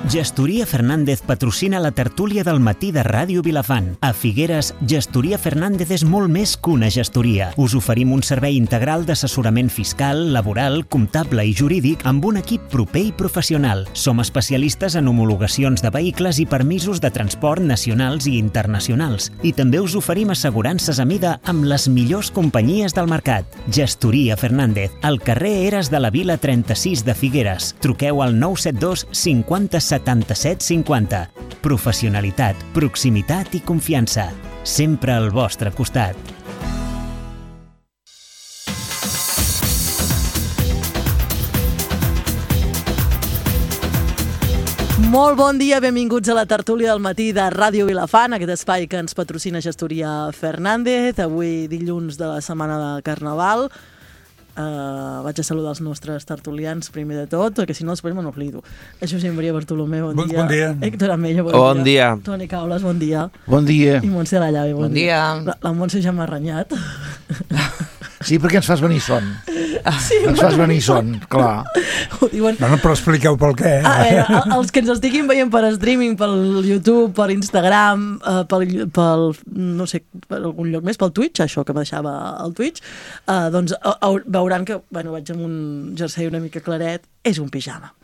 Gestoria Fernández patrocina la tertúlia del matí de Ràdio Vilafant. A Figueres, Gestoria Fernández és molt més que una gestoria. Us oferim un servei integral d'assessorament fiscal, laboral, comptable i jurídic amb un equip proper i professional. Som especialistes en homologacions de vehicles i permisos de transport nacionals i internacionals. I també us oferim assegurances a mida amb les millors companyies del mercat. Gestoria Fernández, al carrer Eres de la Vila 36 de Figueres. Truqueu al 972 50 77 50. Professionalitat, proximitat i confiança. Sempre al vostre costat. Molt bon dia, benvinguts a la tertúlia del matí de Ràdio Vilafant, aquest espai que ens patrocina Gestoria Fernández. Avui dilluns de la setmana de Carnaval. Vaig a saludar els nostres tertulians primer de tot, perquè si no després me n'oblido. Josep Maria Bartolomé, bon dia. Bon dia. Héctor Amella, bon dia. Toni Caules, bon dia. Bon dia. I Montse Lallavi, bon dia. La Montse ja m'ha renyat. Sí, perquè ens fas venir son. Sí, ens fas venir son, clar. Ho diuen... No, però expliqueu pel què. Els que ens estiguin veient per streaming, pel YouTube, per Instagram, no sé, per algun lloc més, pel Twitch, això que me deixava el Twitch, doncs veuran que, bueno, vaig amb un jersei una mica claret, és un pijama.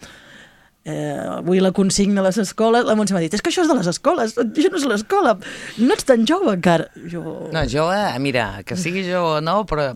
Avui la consigna a les escoles, la Montse m'ha dit, és que això és de les escoles, això no és l'escola, no ets tan jove encara. No, jove, mira, que sigui jove o no, però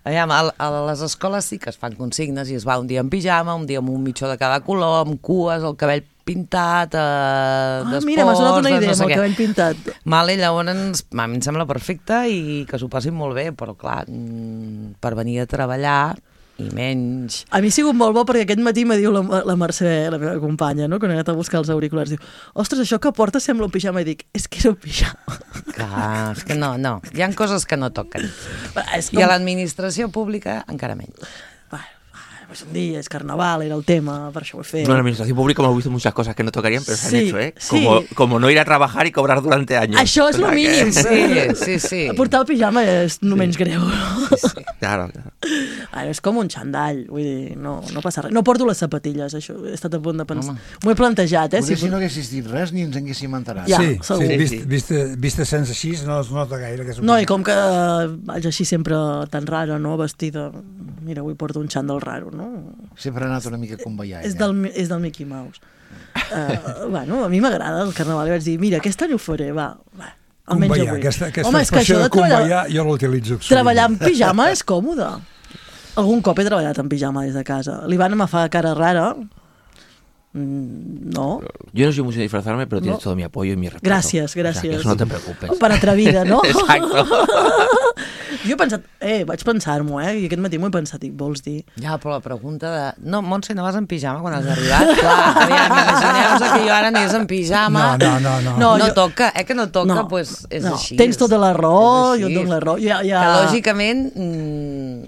a les escoles sí que es fan consignes i es va un dia en pijama, un dia amb un mitjó de cada color, amb cues, el cabell pintat, d'esports... Mira, m'ha sonat una idea amb el cabell pintat. Vale, llavors, a mi em sembla perfecte i que s'ho passin molt bé, però clar, per venir a treballar... i menys... A mi ha sigut molt bo perquè aquest matí me diu la Mercè, la meva companya, no? Quan he anat a buscar els auriculars, diu, ostres, això que portes sembla un pijama, i dic, és que és un pijama. Clar, és que no, hi ha coses que no toquen. I a l'administració pública encara menys. Pues un día es carnaval, era el tema, per això ho he fet. No, en la administración pública hemos visto muchas cosas que no tocarían, pero se han hecho, ¿eh? Sí. Como no ir a trabajar y cobrar durante años. Això és lo mínim. Sí. Portar el pijama és no menys greu. Sí. Claro. És com un xandall, vull dir, no passa res. No porto les sapatilles, això, he estat a punt de pensar. M'ho he plantejat, Si no haguessis dit res ni ens haguéssim enterat. Ja, sí, segur. Vista sense així no es nota gaire. Que no, i com que vaig així sempre tan rara, no?, vestida. Mira, avui porto un xandall raro, no? Sempre ha anat una mica com ballar. És del Mickey Mouse. Bueno, a mi m'agrada el carnaval i vaig dir, mira, aquest any ho faré, va. Almenys avui. Aquesta expressió de convallar jo l'utilitzo. Treballar en pijama és còmode. Algun cop he treballat en pijama des de casa. L'Ivana me fa cara rara. No. Yo no soy mucho de disfrazarme, pero tienes todo mi apoyo y mi respeto. Gràcies. O sea, que eso no te preocupes. Per atrevida, no? Exacto. Jo he pensat, vaig pensar-m'ho, i aquest matí m'ho he pensat, dic, vols dir? Ja, però la pregunta de... No, Montse, no vas en pijama quan has arribat? Clar, aviam, imagineu-vos que jo ara anés en pijama. No toca, que no toca, doncs és així. Tens tota la raó, jo et dono la raó. Que lògicament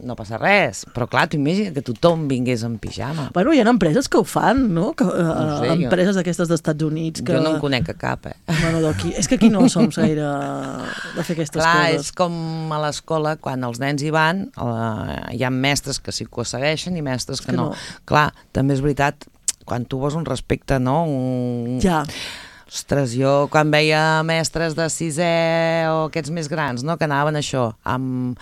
no passa res, però clar, tu imagina que tothom vingués en pijama. Bueno, hi ha empreses que ho fan, no? Empreses d'aquestes d'Estats Units que... Jo no en conec a cap, Bueno, d'aquí. És que aquí no som gaire de fer aquestes coses. Clar, és com a l'escola, quan els nens hi van, hi ha mestres que sí que ho segueixen i mestres que no. Clar, també és veritat, quan tu vols un respecte, no? Ja. Ostres, jo quan veia mestres de sisè o aquests més grans, no?, que anaven això, amb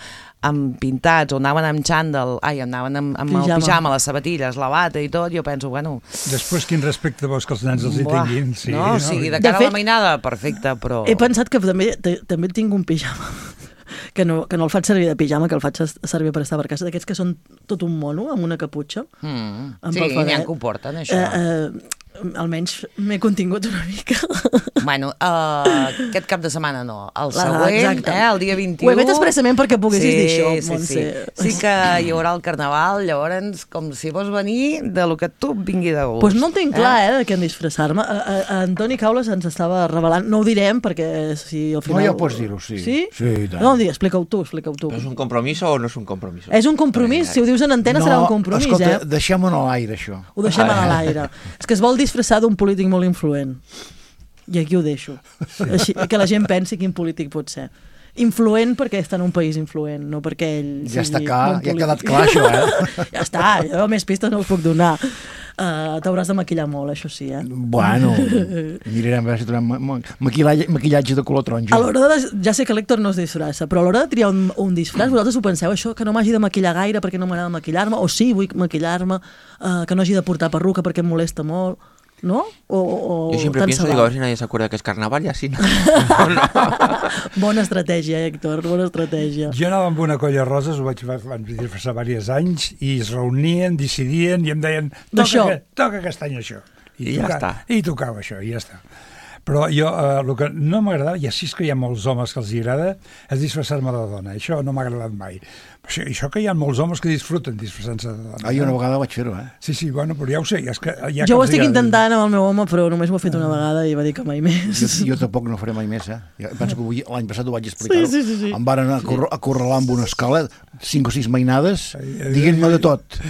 pintats, o anaven amb xandall, anaven amb el pijama, les sabatilles, la bata i tot, jo penso, bueno... Després, quin respecte vols que els nens els hi tinguin? No, o sigui, de cara a la mainada, perfecte, però... He pensat que també tinc un pijama, que no el faig servir de pijama, que el faig servir per estar per casa, d'aquests que són tot un mono, amb una caputxa. Sí, n'hi ha que ho porten, això. Almenys m'he contingut una mica. Bueno, aquest cap de setmana no, el següent, el dia 21... Ho he fet expressament perquè poguessis dir això, Montse. Sí que hi haurà el carnaval, llavors, com si vols venir de lo que tu vingui de gust. Doncs no el tinc clar, de què en disfressar-me. Antoni Caules ens estava revelant, no ho direm perquè si al final... No, ja pots dir-ho, sí. Sí? Sí, i tant. No, explica-ho tu. ¿Es un compromiso o no es un compromiso? És un compromís, si ho dius en antena serà un compromís, escolta, deixem-ho a l'aire, això. Ho deixem a l'aire. És que es vol disfressar d'un polític molt influent. I aquí ho deixo. Així, que la gent pensi quin polític pot ser. Influent perquè està en un país influent, no perquè ell ja sigui està clar, bon ja ha quedat clar això, Ja està, jo més pistes no us puc donar. t'hauràs de maquillar molt, això sí, Bueno, mirarem a veure si trobem maquillatge de color taronja. A l'hora de... Ja sé que l'Héctor no es disfressa, però a l'hora de triar un disfraç, vosaltres ho penseu, això, que no m'hagi de maquillar gaire perquè no m'agrada maquillar-me, o sí, vull maquillar-me, que no hagi de portar perruca perquè em molesta molt, ¿no? Yo siempre pienso, digo, a ver si nadie se acuerda que es carnaval y así no. Bona estratègia, Héctor, bona estratègia. Jo anava amb una colla de roses, ho vaig disfressar diversos anys, i es reunien, decidien, i em deien, toca aquest any això. I ja està. I tocava això, i ja està. Però jo, el que no m'agradava, i així és que hi ha molts homes que els agrada, és disfressar-me de dona. Això no m'ha agradat mai. Això que hi ha molts homes que disfruten disfressant-se de dona. Jo una vegada vaig fer-ho, Sí, bueno, però ja ho sé. És que jo ho estic intentant amb el meu home, però només ho he fet una vegada i va dir que mai més. Jo tampoc no faré mai més, Penso que l'any passat ho vaig explicar. Sí. Em van acorralar amb una escala, 5 o 6 mainades, diguent-me de tot.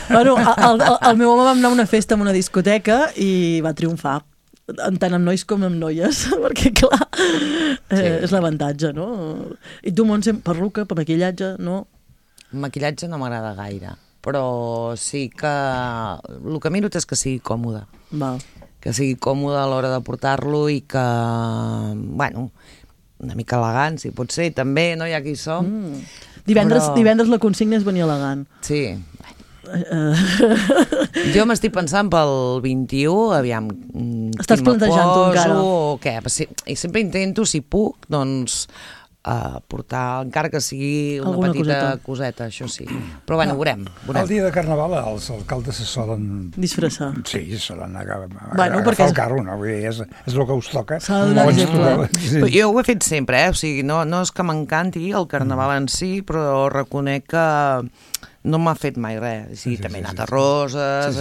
Bueno, el meu home va anar a una festa en una discoteca i va triomfar. Tant amb nois com amb noies, perquè clar, és l'avantatge, no? I tu, Montse, perruca, per maquillatge, no? Maquillatge no m'agrada gaire, però sí que el que miro és que sigui còmode. Val. Que sigui còmode a l'hora de portar-lo i que, bueno, una mica elegant, si pot ser, també, no? Ja que hi som. Divendres la consigna és venir elegant. Sí, jo m'estic pensant pel 21, aviam, estàs plantejant-ho encara o què, i sempre intento, si puc, doncs portar, encara que sigui una petita coseta, això sí, però bueno, veurem. El dia de Carnaval els alcaldes se solen disfressar. Sí, se solen agafar el carro, no? Vull dir, és el que us toca. S'ha de donar exemple. Jo ho he fet sempre, o sigui, no és que m'encanti el Carnaval en si, però reconec que no m'ha fet mai res. Sí, també he anat a Roses.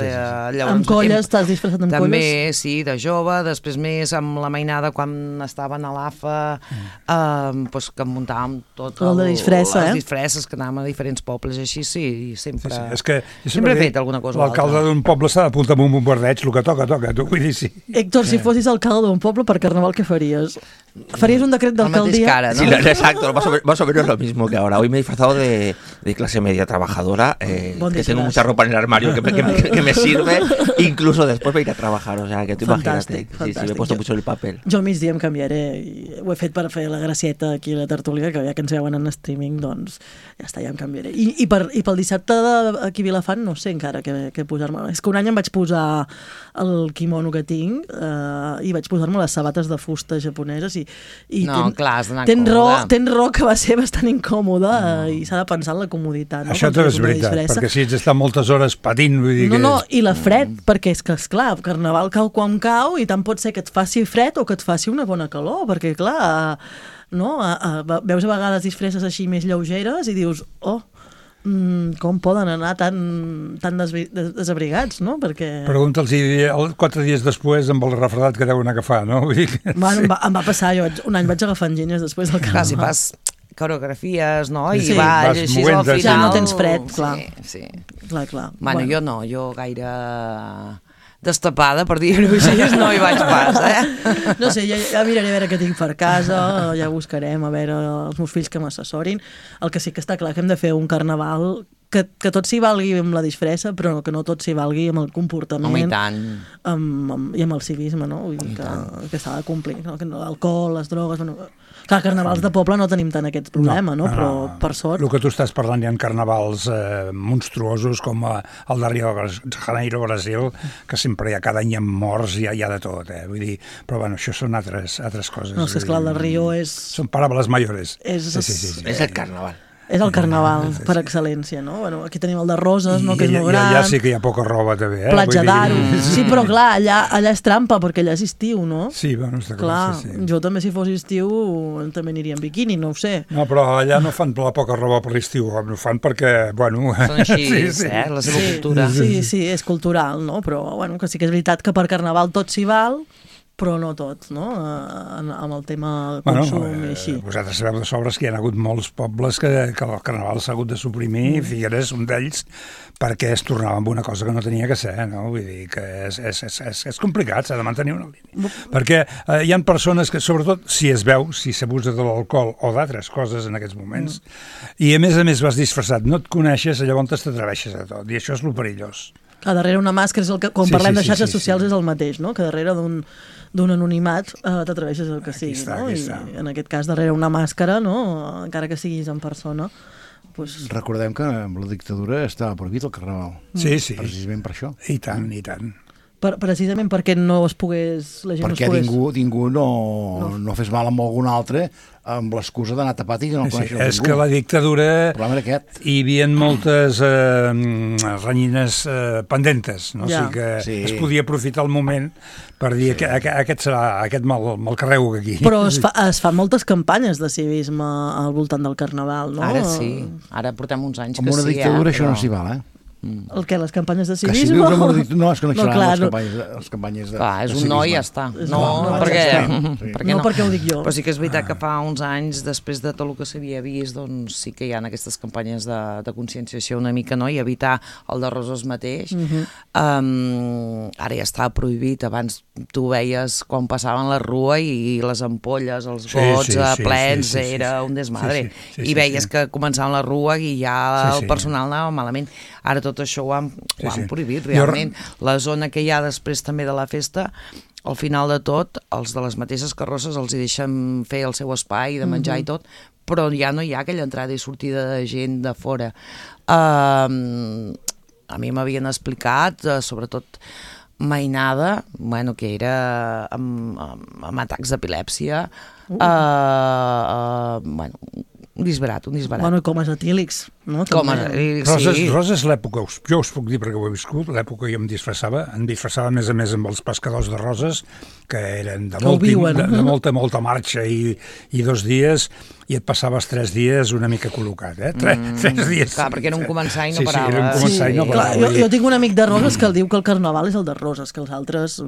Amb colles, t'has disfressat amb colles? També, sí, de jove, després més amb la mainada quan estaven a l'AFA, que muntàvem tot les disfresses, que anàvem a diferents pobles, així, sí, sempre he fet alguna cosa o altra. L'alcalde d'un poble s'ha d'apuntar amb un bombardeig, el que toca, tu vull dir, sí. Héctor, si fossis alcalde d'un poble per Carnaval, què faries? ¿Farías un decret de alcaldía? Cara, ¿no? Sí, exacto, más o menos lo mismo que ahora. Hoy me he disfrazado de clase media trabajadora, que tengo mucha ropa en el armario que me sirve, incluso después de ir a trabajar, o sea, que tú imagínate, sí, me he puesto mucho el papel. Jo al migdia em canviaré, i ho he fet per fer la gracieta aquí a la tertúlia, que ja que ens veuen en streaming, doncs ja està, ja em canviaré. I pel dissabte aquí a Vilafant no sé encara què posar-me. És que un any em vaig posar el quimono que tinc i vaig posar-me les sabates de fusta japoneses i clar, has d'anar còmode. Tens raó que va ser bastant incòmode i s'ha de pensar en la comoditat. Això també és veritat, perquè si ets estar moltes hores patint, vull dir que... No, i la fred, perquè és que, esclar, Carnaval cau quan cau i tant pot ser que et faci fred o que et faci una bona calor, perquè, clar, veus a vegades disfresses així més lleugeres i dius, com poden anar tan desabrigats, no? Perquè... Pregunta'ls 4 dies després amb el refredat que deuen agafar, no? Vull dir que... Bueno, em va passar, un any vaig agafar enginyes després del Carnaval. Clar, si fas coreografies, no? I sí, balls, així al final... Ja no tens fred, clar. Sí. Clar. Bueno, jo no, jo gaire destapada, per dir-ho així, no hi vaig pas, No sé, ja miraré a veure què tinc per casa, ja buscarem a veure els meus fills que m'assessorin. El que sí que està clar que hem de fer un Carnaval que tot s'hi valgui amb la disfressa, però que no tot s'hi valgui amb el comportament. Home, i tant. I amb el civisme, no? Vull dir que s'ha de complir. L'alcohol, les drogues... Clar, carnavals de poble no tenim tant aquest problema, no? Però per sort... El que tu estàs parlant, hi ha carnavals monstruosos com el de Rio de Janeiro, Brasil, que sempre hi ha, cada any hi ha morts, hi ha de tot, Vull dir, però bueno, això són altres coses. No, és clar, el de Rio és... Són paraules mayores. És el carnaval. És el carnaval, per excel·lència, no? Bueno, aquí tenim el de Roses, no? Que és molt gran. Ja sí que hi ha poca roba, també, Platja d'Aro. Sí, però clar, allà és trampa, perquè allà és estiu, no? Sí, bueno, està clar. Jo també, si fos estiu, també aniria en biquini, no ho sé. No, però allà no fan la poca roba per l'estiu, ho fan perquè, bueno... Són així, la seva cultura. Sí, és cultural, no? Però, bueno, que sí que és veritat que per Carnaval tot s'hi val, però no tot, no? Amb el tema consum i així. Vosaltres sabeu de sobres que hi ha hagut molts pobles que el Carnaval s'ha hagut de suprimir, Figueres, un d'ells, perquè es tornava amb una cosa que no tenia que ser, no? Vull dir que és complicat, s'ha de mantenir una línia. Perquè hi ha persones que, sobretot, si es veu, si s'abusa de l'alcohol o d'altres coses en aquests moments, i a més vas disfressat, no et coneixes, llavors t'atreveixes a tot, i això és lo perillós. Que darrere una màscara és el que, quan parlem de xarxes socials és el mateix, no? Que darrere d'un anonimat t'atreveixes el que sigui, no? I en aquest cas darrere una màscara, no? Encara que siguis en persona. Recordem que amb la dictadura estava prohibit el carnaval. Sí. Precisament per això. I tant. Precisament perquè no es pogués... Perquè ningú no fes mal amb algun altre amb l'excusa d'anar tapat i que no coneixes ningú. És que la dictadura hi havia moltes renyines pendentes, no? O sigui que es podia aprofitar el moment per dir que aquest me'l carrego aquí. Però es fan moltes campanyes de civisme al voltant del carnaval, no? Ara sí, ara portem uns anys que sí. Amb una dictadura això no s'hi val, El què, les campanyes de civisme? No, és que no hi seran les campanyes de és un no i ja està. No, perquè ho dic jo. Però sí que és veritat que fa uns anys, després de tot el que s'havia vist, doncs sí que hi ha aquestes campanyes de conscienciació una mica, no? I evitar el de Roses mateix. Ara ja estava prohibit. Abans tu veies quan passaven la rua i les ampolles, els gots plens, era un desmadre. I veies que començaven la rua i ja el personal anava malament. Ara tot això ho han prohibit, realment. La zona que hi ha després també de la festa, al final de tot, els de les mateixes carrosses els hi deixen fer el seu espai de menjar i tot, però ja no hi ha aquella entrada i sortida de gent de fora. A mi m'havien explicat, sobretot mainada, que era amb atacs d'epilèpsia, un disbarat. Bueno, comes etílics, no? Roses l'època, jo us puc dir perquè ho he viscut, l'època jo em disfressava a més a més amb els pescadors de roses, que eren de molta marxa i 2 dies, i et passaves 3 dies una mica col·locat, 3 dies. Clar, perquè era un començar i no parava. Sí, era un començar i no parava. Jo tinc un amic de Roses que el diu que el carnaval és el de Roses, que els altres...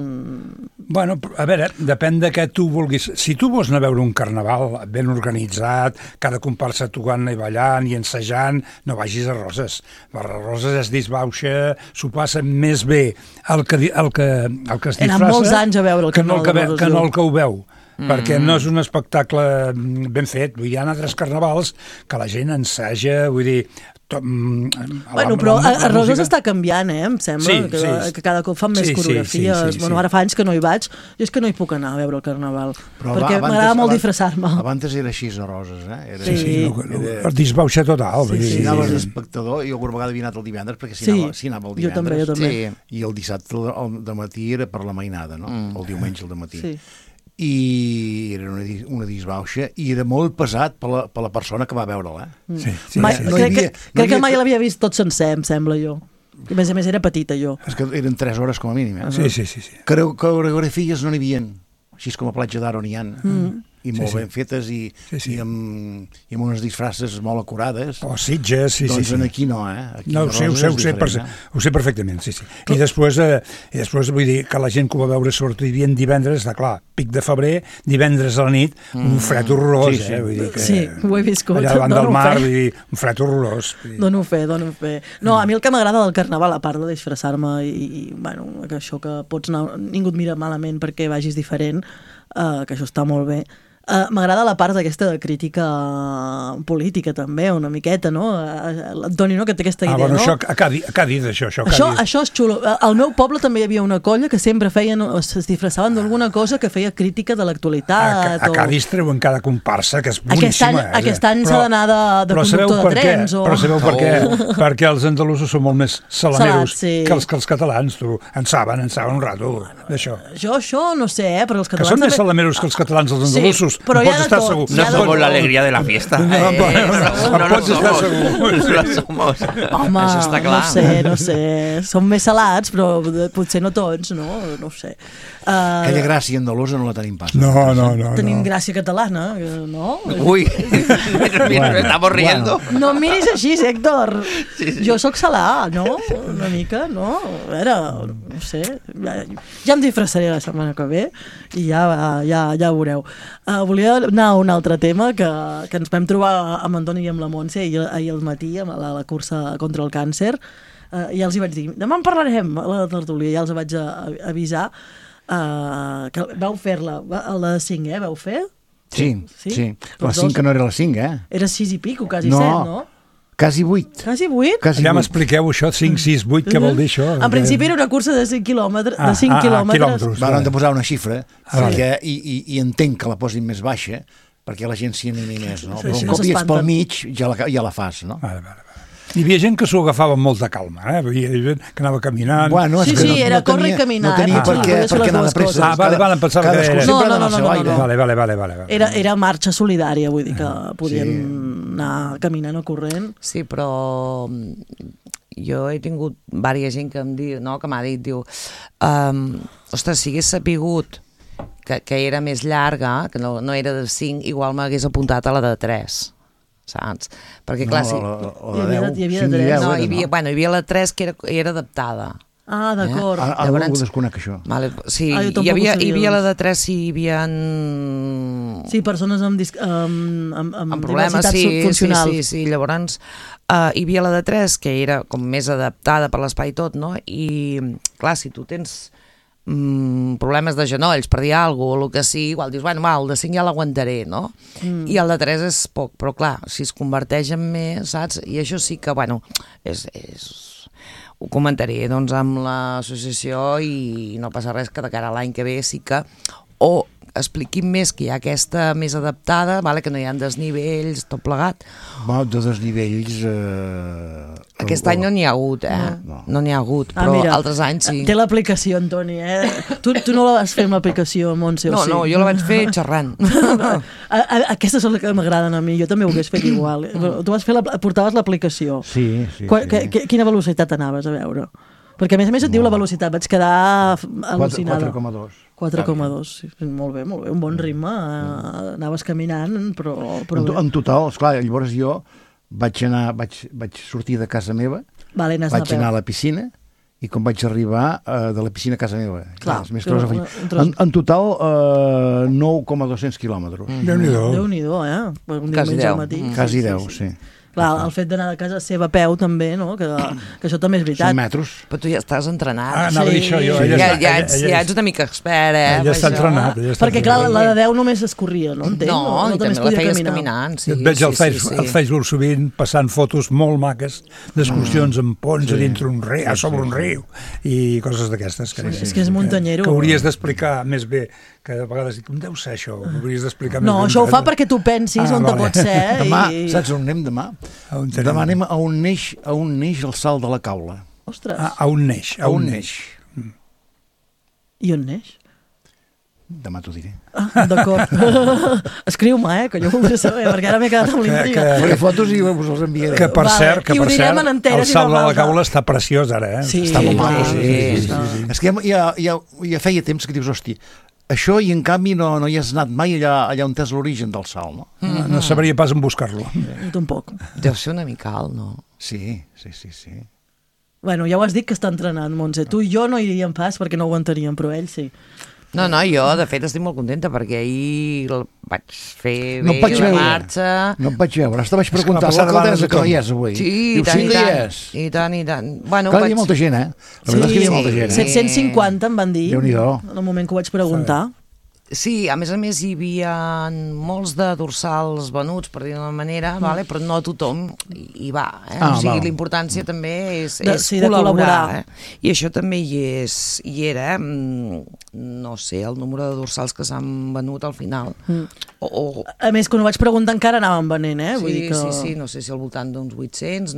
Bueno, a veure, depèn de què tu vulguis. Si tu vols anar a veure un carnaval ben organitzat, cada comparsa tocant i ballant i ensajant, no vagis a Roses. A Roses es disbauxa, s'ho passa més bé el que es disfressa... Eren molts anys a veure el carnaval de Roses. Que no el que ho veu. Perquè no és un espectacle ben fet. Hi ha altres carnavals que la gent ensaja, vull dir... Però a Roses està canviant, em sembla, que cada cop fan més coreografies. Ara fa anys que no hi vaig, i és que no hi puc anar a veure el carnaval, perquè m'agrada molt disfressar-me. Abans era així a Roses, Per disbauxa total. Si anaves d'espectador, jo alguna vegada havia anat el divendres, perquè si anava el divendres. Jo també. I el dissabte al matí era per la mainada, no? El diumenge al matí. I era una disbauxa i era molt pesat per la persona que va veure'l. Crec que mai l'havia vist tot sencer, em sembla, jo. A més era petita, jo. És que eren 3 hores com a mínim. Sí. Coreografies no n'hi havia, així com a Platja d'Aro n'hi ha. I molt ben fetes i amb unes disfresses molt acurades. Sitges, Doncs aquí no, No, ho sé perfectament, sí. I després vull dir que la gent que ho va veure sobretot hi havia divendres, clar, pic de febrer, divendres a la nit, un fred horrorós, vull dir que... Sí, ho he viscut. Allà davant del mar, vull dir, un fred horrorós. Dono fe. No, a mi el que m'agrada del carnaval, a part de disfressar-me i que això que pots anar... Ningú et mira malament perquè vagis diferent, que això està molt bé. M'agrada la part d'aquesta crítica política també, una miqueta, no? L'Antoni, no?, que té aquesta idea, bueno, no? Això a Cádiz, això. Això és xulo. Al meu poble també hi havia una colla que sempre es disfressaven d'alguna cosa que feia crítica de l'actualitat. A Cádiz treuen cada comparsa, que és boníssima. Aquest any s'ha d'anar de conductor de trens. Però sabeu per què? Perquè els andalusos són molt més salameros que els catalans. En saben un rato d'això. Jo això no sé, però els catalans... Que són més salameros que els catalans, els andalusos. Però no pots estar segur. No somos la alegria de la fiesta. No pots estar segur. No somos. Home, això està clar. No sé. Som més salats, però potser no tots, no? No ho sé. Aquella gràcia andalusa no la tenim pas. No. Tenim gràcia catalana, no? Ui, estamos riendo. No em miris així, Héctor. Jo sóc salà, no? Una mica, no? A veure, no sé. Ja em disfressaré la setmana que ve i ja veureu. Volia anar a un altre tema que ens vam trobar amb Antoni i amb la Montse ahir al matí a la cursa contra el càncer, i els hi vaig dir, demà en parlarem a la tertúlia, ja els vaig avisar que vau fer-la, la de 5, vau fer? Sí. La 5 que no era la 5, Era 6 i pico, quasi 7, no? Quasi 8. Quasi 8? Ja m'expliqueu això, 5, 6, 8, què vol dir això? En principi era una cursa de 5 quilòmetres. Van han de posar una xifra i entenc que la posin més baixa perquè la gent s'hi animi més, no? Però un cop hi ets pel mig ja la fas, no? Vale. Hi havia gent que s'ho agafava amb molta calma, Hi havia gent que anava caminant. Bueno, sí, era córrer i caminar. No tenia per què anar de pressa. Vale, pensava que era... No. Era marxa solidària, vull dir que podien anar caminant o corrent. Sí, però jo he tingut diversa gent que m'ha dit, diu, ostres, si hagués sapigut que era més llarga, que no era de 5, igual m'hagués apuntat a la de 3. Saps? Perquè clar, hi havia de 3. No, hi havia la 3 que era adaptada. Ah, d'acord. Ara ho desconec, això. Vale, sí, hi havia la de 3 si hi havia... Sí, persones amb problemes funcionals. Sí, llavors hi havia la de 3 que era com més adaptada per l'espai tot, no? I clar, si tu tens problemes de genolls, per dir alguna cosa, o el que sigui, igual dius, bueno, el de 5 ja l'aguantaré, no? I el de 3 és poc, però clar, si es converteix en més, saps? I això sí que, bueno, ho comentaré doncs amb l'associació i no passa res que de cara a l'any que ve sí que o expliquin més que hi ha aquesta més adaptada, que no hi ha desnivells, tot plegat. De desnivells... Aquest any no n'hi ha hagut, No n'hi ha hagut, però altres anys sí. Té l'aplicació, Antoni, Tu no la vas fer amb l'aplicació, Montse, o sí? No, jo la vaig fer xerrant. Aquestes són les que m'agraden a mi, jo també ho hagués fet igual. Tu portaves l'aplicació. Sí. Quina velocitat anaves a veure? Perquè a més et diu la velocitat, vaig quedar al·lucinada. 4,2. 4,2, sí. Molt bé, un bon ritme. Anaves caminant, però en total, esclar, llavors jo vaig sortir de casa meva, vaig anar a la piscina, i quan vaig arribar de la piscina a casa meva. Clar, en total 9,200 quilòmetres. Déu-n'hi-do, un diumenge al matí. Quasi 10, sí. Clar, el fet d'anar de casa seva a peu també, no? Que això també és veritat. 100 metres. Però tu ja estàs entrenat. Anava a dir això jo. Ja ets una mica expert, Ella està entrenat. Perquè clar, la de 10 només es corria, no? No, i també la feies caminant. Et veig al Facebook sovint passant fotos molt maques d'excursions en ponts a dintre un riu, a sobre un riu, i coses d'aquestes. És que és muntanyero. Que hauries d'explicar més bé, que a vegades dic, com deu ser això? Hauries d'explicar més bé. No, això ho fa perquè tu pensis on te pot ser. Demà, saps on anem demà? Demà anem a on neix el salt de la Caula. Ostres. A on neix. I on neix? Demà t'ho diré. D'acord. Escriu-me, que jo voldré saber, perquè ara m'he quedat amb l'intriga. Faré fotos i us els enviaré. Que per cert, el salt de la Caula està preciós ara, Sí. Està molt maco. És que ja feia temps que dius, hòstia, això, i en canvi no hi has anat mai allà on és l'origen del salt, no? No sabria pas en buscar-lo. Tampoc. Deu ser una mica alt, no? Sí. Bueno, ja ho has dit que està entrenant, Montse. Tu i jo no iríem pas perquè no ho aguantaríem, però ell sí. No, jo de fet estic molt contenta perquè ahir vaig fer bé la marxa. No em vaig veure, hasta vaig preguntar a l'alcaldessa que no hi és avui. Sí, i tant. Bueno, hi havia molta gent, La veritat és que hi havia molta gent. 750 em van dir, Déu-n'hi-do. en el moment que ho vaig preguntar. Sí, a més hi havia molts de dorsals venuts, per dir d'una manera, però no tothom hi va. O sigui, l'importància també és col·laborar. I això també hi era. No sé, el número de dorsals que s'han venut al final. A més, quan ho vaig preguntar encara anaven venent, Vull dir que... Sí, no sé si al voltant d'uns 800,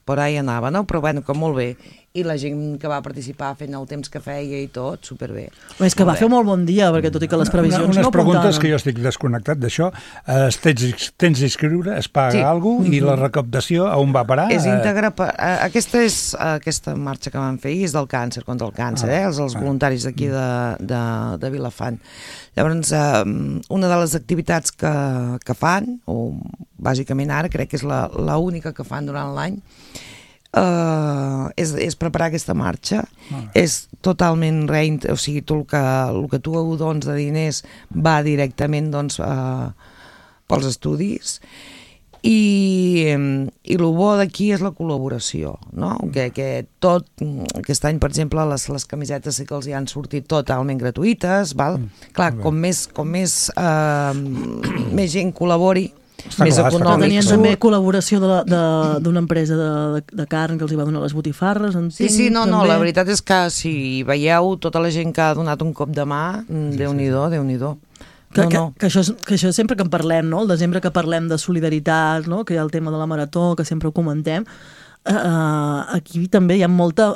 per ahí anava, no? Però que molt bé. I la gent que va participar fent el temps que feia i tot, superbé. És que va fer molt bon dia, perquè tot i que les previsions no apuntaven. Unes preguntes que jo estic desconnectat d'això. Tens d'inscriure, es paga alguna cosa, i la recaptació on va parar? És íntegra. Aquesta marxa que van fer és del càncer, contra el càncer, els voluntaris d'aquí de Vilafant. Llavors, una de les activitats que fan, o bàsicament ara crec que és l'única que fan durant l'any, és preparar aquesta marxa. És totalment o sigui, el que tu dones de diners va directament pels estudis, i el bo d'aquí és la col·laboració, no? Que tot aquest any, per exemple, les camisetes sí que els hi han sortit totalment gratuïtes, val? Clar, com més gent col·labori, més econòmic. Tenien també col·laboració d'una empresa de carn que els hi va donar les botifarres. Sí, no, la veritat és que si veieu tota la gent que ha donat un cop de mà, Déu-n'hi-do, Déu-n'hi-do. Que això sempre que en parlem, no? El desembre que parlem de solidaritat, no? Que hi ha el tema de la marató, que sempre ho comentem, aquí també hi ha molta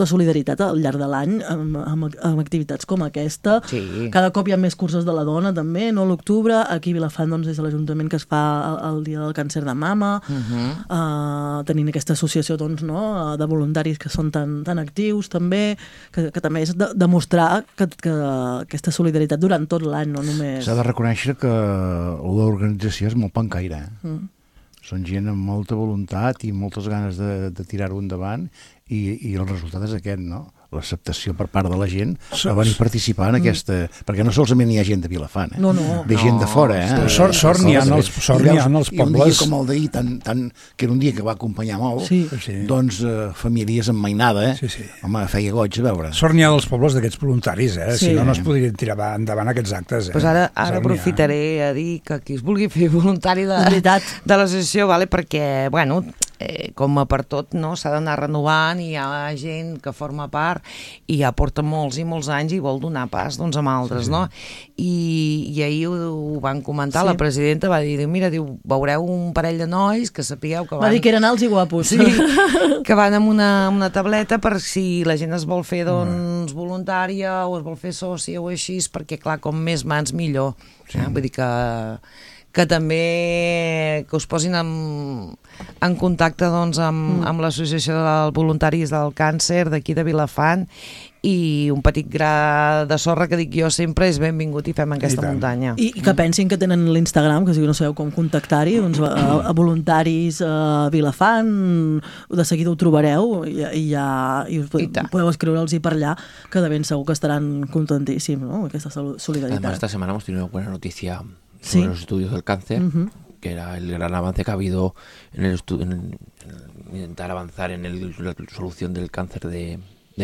solidaritat al llarg de l'any amb activitats com aquesta. Sí. Cada cop hi ha més curses de la dona també, no? L'octubre, aquí a Vilafant doncs, és l'Ajuntament que es fa el dia del càncer de mama, tenint aquesta associació doncs, no? De voluntaris que són tan actius també, que també és demostrar que aquesta solidaritat durant tot l'any, no només... S'ha de reconèixer que l'organització és molt pencaire, Són gent amb molta voluntat i moltes ganes de tirar-ho endavant i el resultat és aquest, no? L'acceptació per part de la gent a venir a participar en aquesta... Perquè no solament hi ha gent de Vilafant, No. Ve gent de fora, Sort n'hi ha en els pobles. I un dia com el d'ahir, que era un dia que va acompanyar molt, doncs famílies amb mainada, home, feia goig a veure. Sort n'hi ha dels pobles d'aquests voluntaris, si no es podrien tirar endavant aquests actes. Pues ara aprofitaré a dir que qui es vulgui fer voluntari de l'associació, perquè, bueno, com a per tot, s'ha d'anar renovant i hi ha gent que forma part i ja porta molts i molts anys i vol donar pas doncs, amb altres, no? I ahir ho van comentar, la presidenta va dir, mira, veureu un parell de nois que sapigueu que van... Va dir que eren alts i guapos. Sí, que van amb una tableta per si la gent es vol fer doncs, voluntària o es vol fer sòcia o així, perquè clar, com més mans millor. Vull dir que també que us posin en contacte doncs, amb l'Associació de Voluntaris del Càncer d'aquí de Vilafant i un petit gra de sorra que dic jo sempre és benvingut i fem aquesta muntanya. I que pensin que tenen l'Instagram, que si no sabeu com contactar-hi, doncs a Voluntaris Vilafant, de seguida ho trobareu i us podeu escriure'ls per allà, que de ben segur que estaran contentíssims, ¿no? Aquesta solidaritat. Además, esta semana hemos tenido una buena noticia sobre los estudios del cáncer, que era el gran avance que ha habido en intentar avanzar en la solución del cáncer de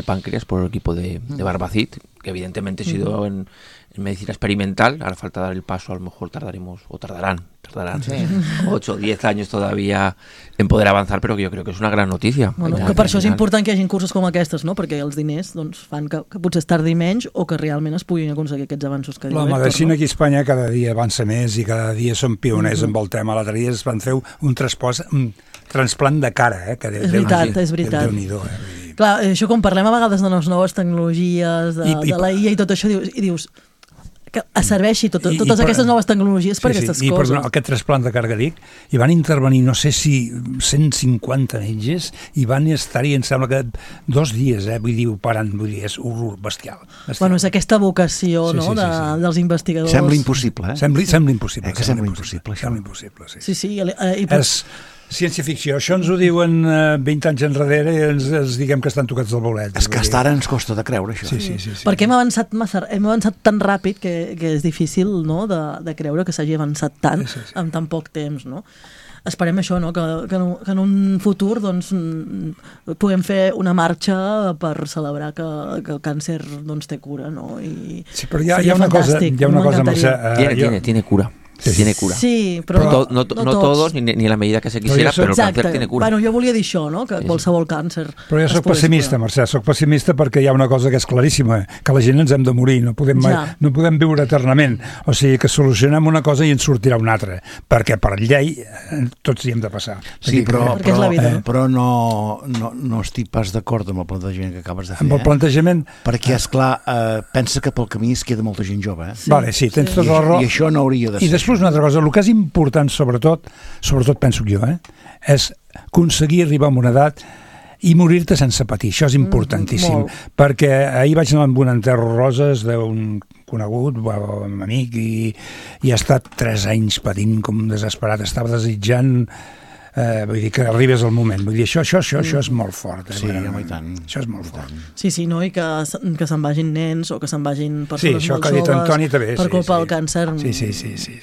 páncreas por el equipo de Barbacid, que evidentemente ha sido en medicina experimental. Ahora falta dar el paso, a lo mejor tardarán 8 o 10 años todavía en poder avanzar, però que jo crec que és una gran notícia. Bueno, que per això és important que hi hagi cursos com aquestes, no? Perquè els diners doncs, fan que potser es tardi menys o que realment es puguin aconseguir aquests avanços que diu Héctor. La medicina aquí a Espanya cada dia avança més i cada dia són pioners amb el tema. L'altre dia es van fer un transplant de cara, que és veritat. Déu-n'hi-do, Clar, això com parlem a vegades de les noves tecnologies, de la IA i tot això, i dius que serveixi totes aquestes noves tecnologies per aquestes coses. Perdona, aquest trasplant de cara que dic, hi van intervenir, no sé si 150 metges, i van estar-hi, em sembla que 2 dies, vull dir, operant, és horror bestial. Bueno, és aquesta vocació dels investigadors. Sembla impossible, Sembla impossible. Sembla impossible, sí. Sí, és ciència-ficció. Això ens ho diuen 20 anys enrere i ens diguem que estan tocats del bolet. És que ara ens costa de creure, això. Sí. Perquè hem avançat tan ràpid que és difícil, no?, de creure que s'hagi avançat tant en tan poc temps, no? Esperem això, no? Que en un futur doncs, puguem fer una marxa per celebrar que el càncer doncs, té cura, no? Sí, però hi ha una cosa, Mercè. Tiene cura. Tiene cura. Sí, però no todos, ni en la medida que se quisiera, però el càncer tiene cura. Bueno, jo volia dir això, no? Que qualsevol càncer... Però jo soc pessimista, Mercè, soc pessimista perquè hi ha una cosa que és claríssima, que la gent ens hem de morir, no podem viure eternament. O sigui, que solucionem una cosa i ens sortirà una altra, perquè per llei tots hi hem de passar. Sí, però no estic pas d'acord amb el plantejament que acabes de fer. Amb el plantejament... Perquè, esclar, pensa que pel camí es queda molta gent jove. Vale, sí, tens tota la raó. I això no hauria de ser. I després una altra cosa, el que és important sobretot penso jo, és aconseguir arribar a una edat i morir-te sense patir. Això és importantíssim, perquè ahir vaig anar amb un enterro roses d'un conegut, un amic, i ha estat 3 anys patint com desesperat, estava desitjant vull dir que arribes al moment. Vull dir, això és molt fort. Sí, home, i tant. Això és molt fort. Sí, no, i que se'n vagin nens o que se'n vagin persones molt joves. Sí, això que ha dit Antoni també. Per culpa del càncer. Sí.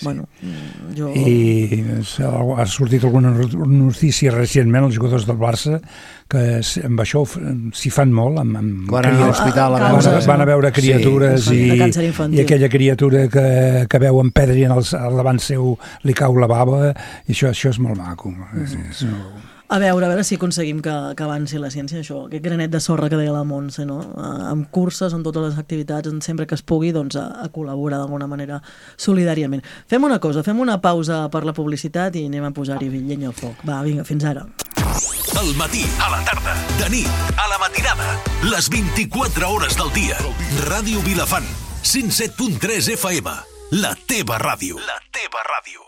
Bueno, I ha sortit alguna notícia recentment als jugadors del Barça que amb això s'hi fan molt. Van anar a l'hospital van a veure criatures i aquella criatura que veu en pedra i al davant seu li cau la bava, i això és molt maco. A veure si aconseguim que avanci la ciència, això, aquest granet de sorra que deia la Montse, no? Amb curses, en totes les activitats, sempre que es pugui, doncs, a col·laborar d'alguna manera solidàriament. Fem una cosa, fem una pausa per la publicitat i anem a posar-hi llenya al foc. Va, vinga, fins ara. Al matí, a la tarda, de nit, a la matinada, les 24 hores del dia. Ràdio Vilafant, 107.3 FM, la teva ràdio. La teva ràdio.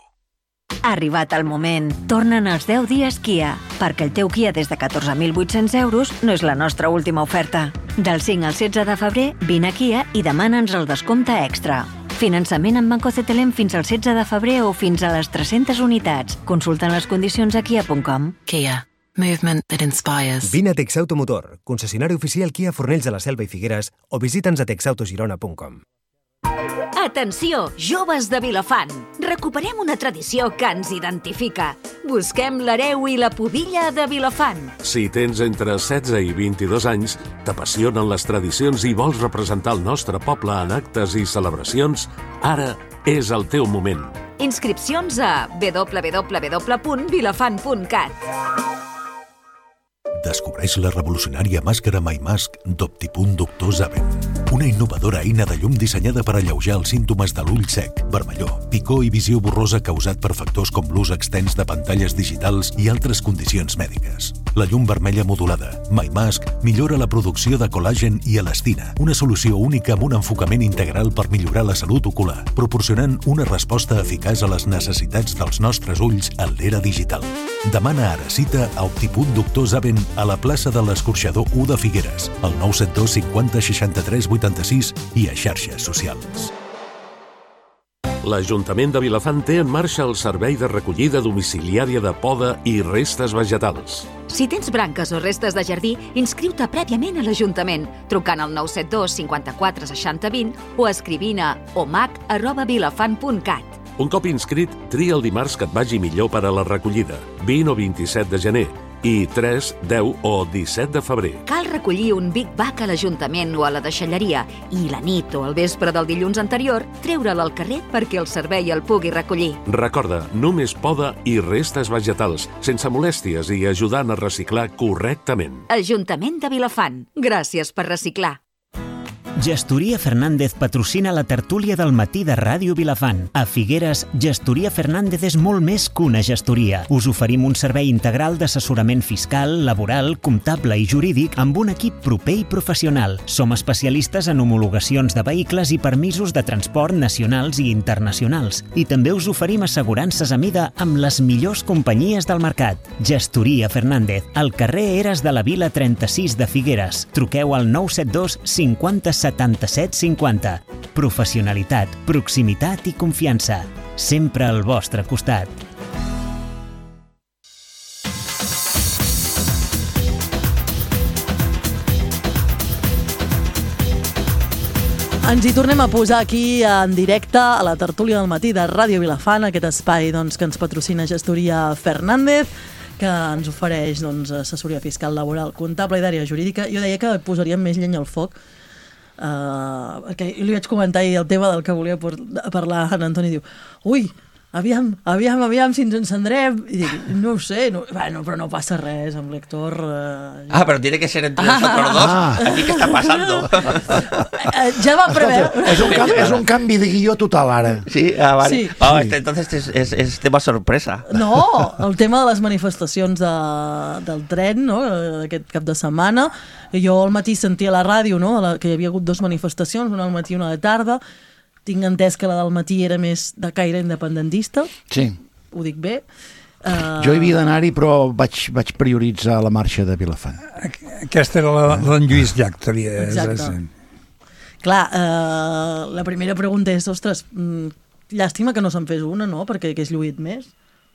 Ha arribat el moment. Tornen els 10 dies Kia, perquè el teu Kia des de 14.800 euros no és la nostra última oferta. Del 5 al 16 de febrer, vine a Kia i demana'ns el descompte extra. Finançament amb Banco CTLM fins al 16 de febrer o fins a les 300 unitats. Consulta les condicions a kia.com. Kia. Movement that inspires. Vine a Texauto Motor, concessionari oficial Kia Fornells de la Selva i Figueres, o visita'ns a texautogirona.com. Atenció, joves de Vilafant! Recuperem una tradició que ens identifica. Busquem l'hereu i la pudilla de Vilafant. Si tens entre 16 i 22 anys, t'apassionen les tradicions i vols representar el nostre poble en actes i celebracions, ara és el teu moment. Inscripcions a www.vilafant.cat. Descobreix la revolucionària màscara MyMask d'Optipunt Doctor Zaven. Una innovadora eina de llum dissenyada per alleujar els símptomes de l'ull sec, vermellor, picor i visió borrosa causat per factors com l'ús extens de pantalles digitals i altres condicions mèdiques. La llum vermella modulada, MyMask, millora la producció de col·làgen i elastina, una solució única amb un enfocament integral per millorar la salut ocular, proporcionant una resposta eficaç a les necessitats dels nostres ulls en l'era digital. Demana ara cita a Optipunt Doctor Zaven a la plaça de l'Escorxador 1 de Figueres, al 972 50 63 86 i a xarxes socials. L'Ajuntament de Vilafant té en marxa el servei de recollida domiciliària de poda i restes vegetals. Si tens branques o restes de jardí, inscriu-te prèviament a l'Ajuntament, trucant al 972 54 60 20 o escrivint a omac@vilafant.cat. Un cop inscrit, tria el dimarts que et vagi millor per a la recollida, 20 o 27 de gener, i 3, 10 o 17 de febrer. Cal recollir un Big Bag a l'Ajuntament o a la deixalleria i la nit o al vespre del dilluns anterior treure'l al carrer perquè el servei el pugui recollir. Recorda, només poda i restes vegetals, sense molèsties i ajudant a reciclar correctament. Ajuntament de Vilafant. Gràcies per reciclar. Gestoria Fernández patrocina la tertúlia del matí de Ràdio Vilafant. A Figueres, Gestoria Fernández és molt més que una gestoria. Us oferim un servei integral d'assessorament fiscal, laboral, comptable i jurídic amb un equip proper i professional. Som especialistes en homologacions de vehicles i permisos de transport nacionals i internacionals. I també us oferim assegurances a mida amb les millors companyies del mercat. Gestoria Fernández, al carrer Eres de la Vila 36 de Figueres. Truqueu al 972 50 77 50. Professionalitat, proximitat i confiança. Sempre al vostre costat. Ens hi tornem a posar aquí en directe a la tertúlia del matí de Ràdio Vilafant, aquest espai que ens patrocina Gestoria Fernández, que ens ofereix assessoria fiscal, laboral, comptable i d'àrea jurídica. Jo deia que posaríem més llenya al foc, perquè li vaig comentar ahir el tema del que volia parlar en Antoni. Diu, ui, aviam si ens encendrem. I dic, no ho sé, però no passa res amb l'Héctor. Pero tiene que ser entre nosotros dos. Aquí, ¿qué está pasando? Ja va preveure. És un canvi de guió total, ara. Sí, vale. Sí. Entonces es tema sorpresa. No, el tema de les manifestacions del tren, no?, aquest cap de setmana. Jo al matí sentia a la ràdio, no?, que hi havia hagut 2 manifestacions, una al matí i una a la tarda. Tinc entès que la del matí era més de caire independentista. Sí. Ho dic bé. Jo hi havia d'anar-hi, però vaig prioritzar la marxa de Vilafant. Aquesta era l'en Lluís Llach. Exacte. Clar, la primera pregunta és, ostres, llàstima que no se'n fes una, no?, perquè hagués lluït més.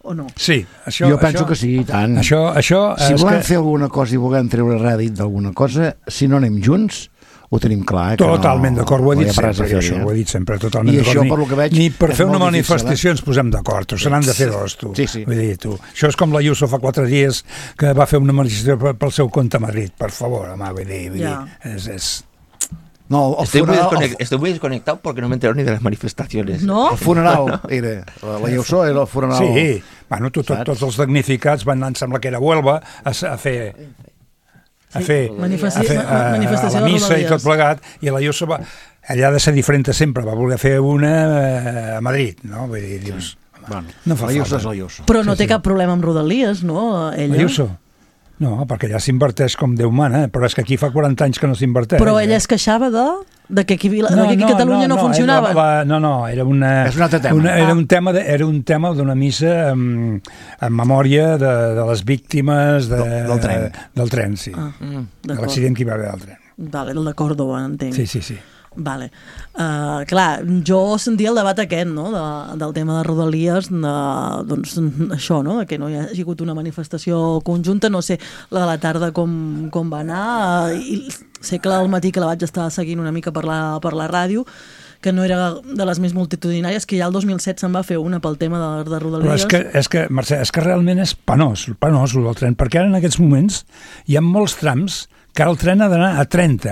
o no? Sí. Jo penso que sí, i tant. Si volem fer alguna cosa i volem treure rèdit d'alguna cosa, si no anem junts, ho tenim clar. Totalment d'acord, ho he dit sempre, totalment d'acord. I això, per lo que veig, ni per fer una manifestació ens posem d'acord, se n'han de fer dos, tu. Sí. Vull dir, tu. Això és com la Ayuso fa 4 dies que va fer una manifestació pel seu compte a Madrid, per favor, home, vull dir, és... No, estoy muy desconectado porque no me entero ni de las manifestaciones. No? El funeral era, la Ayuso era el funeral. Sí, bueno, tots els damnificats van anar, em sembla que era Huelva, a fer manifestació a la missa i tot plegat, i la Ayuso va, allà ha de ser diferent sempre, va voler fer una a Madrid, no? Vull dir, dius, no fa falta. Però no té cap problema amb Rodalies, no, ella? La Ayuso? No, perquè allà s'inverteix com Déu mana, però és que aquí fa 40 anys que no s'inverteix. Però ella es queixava de que aquí a Catalunya no funcionava. Era un tema d'una missa en memòria de les víctimes del tren, sí. De l'accident que hi va haver del tren. Vale, el de Còrdova, entenc. Sí. Vale. Clar, jo sentia el debat aquest, no?, del tema de Rodalies, doncs això, no?, que no hi ha hagut una manifestació conjunta, no sé la de la tarda com va anar, i sé que al matí que la vaig estar seguint una mica per la ràdio, que no era de les més multitudinàries, que ja el 2007 se'n va fer una pel tema de Rodalies. Però és que, Mercè, realment és penós el del tren, perquè ara en aquests moments hi ha molts trams que ara el tren ha d'anar a 30.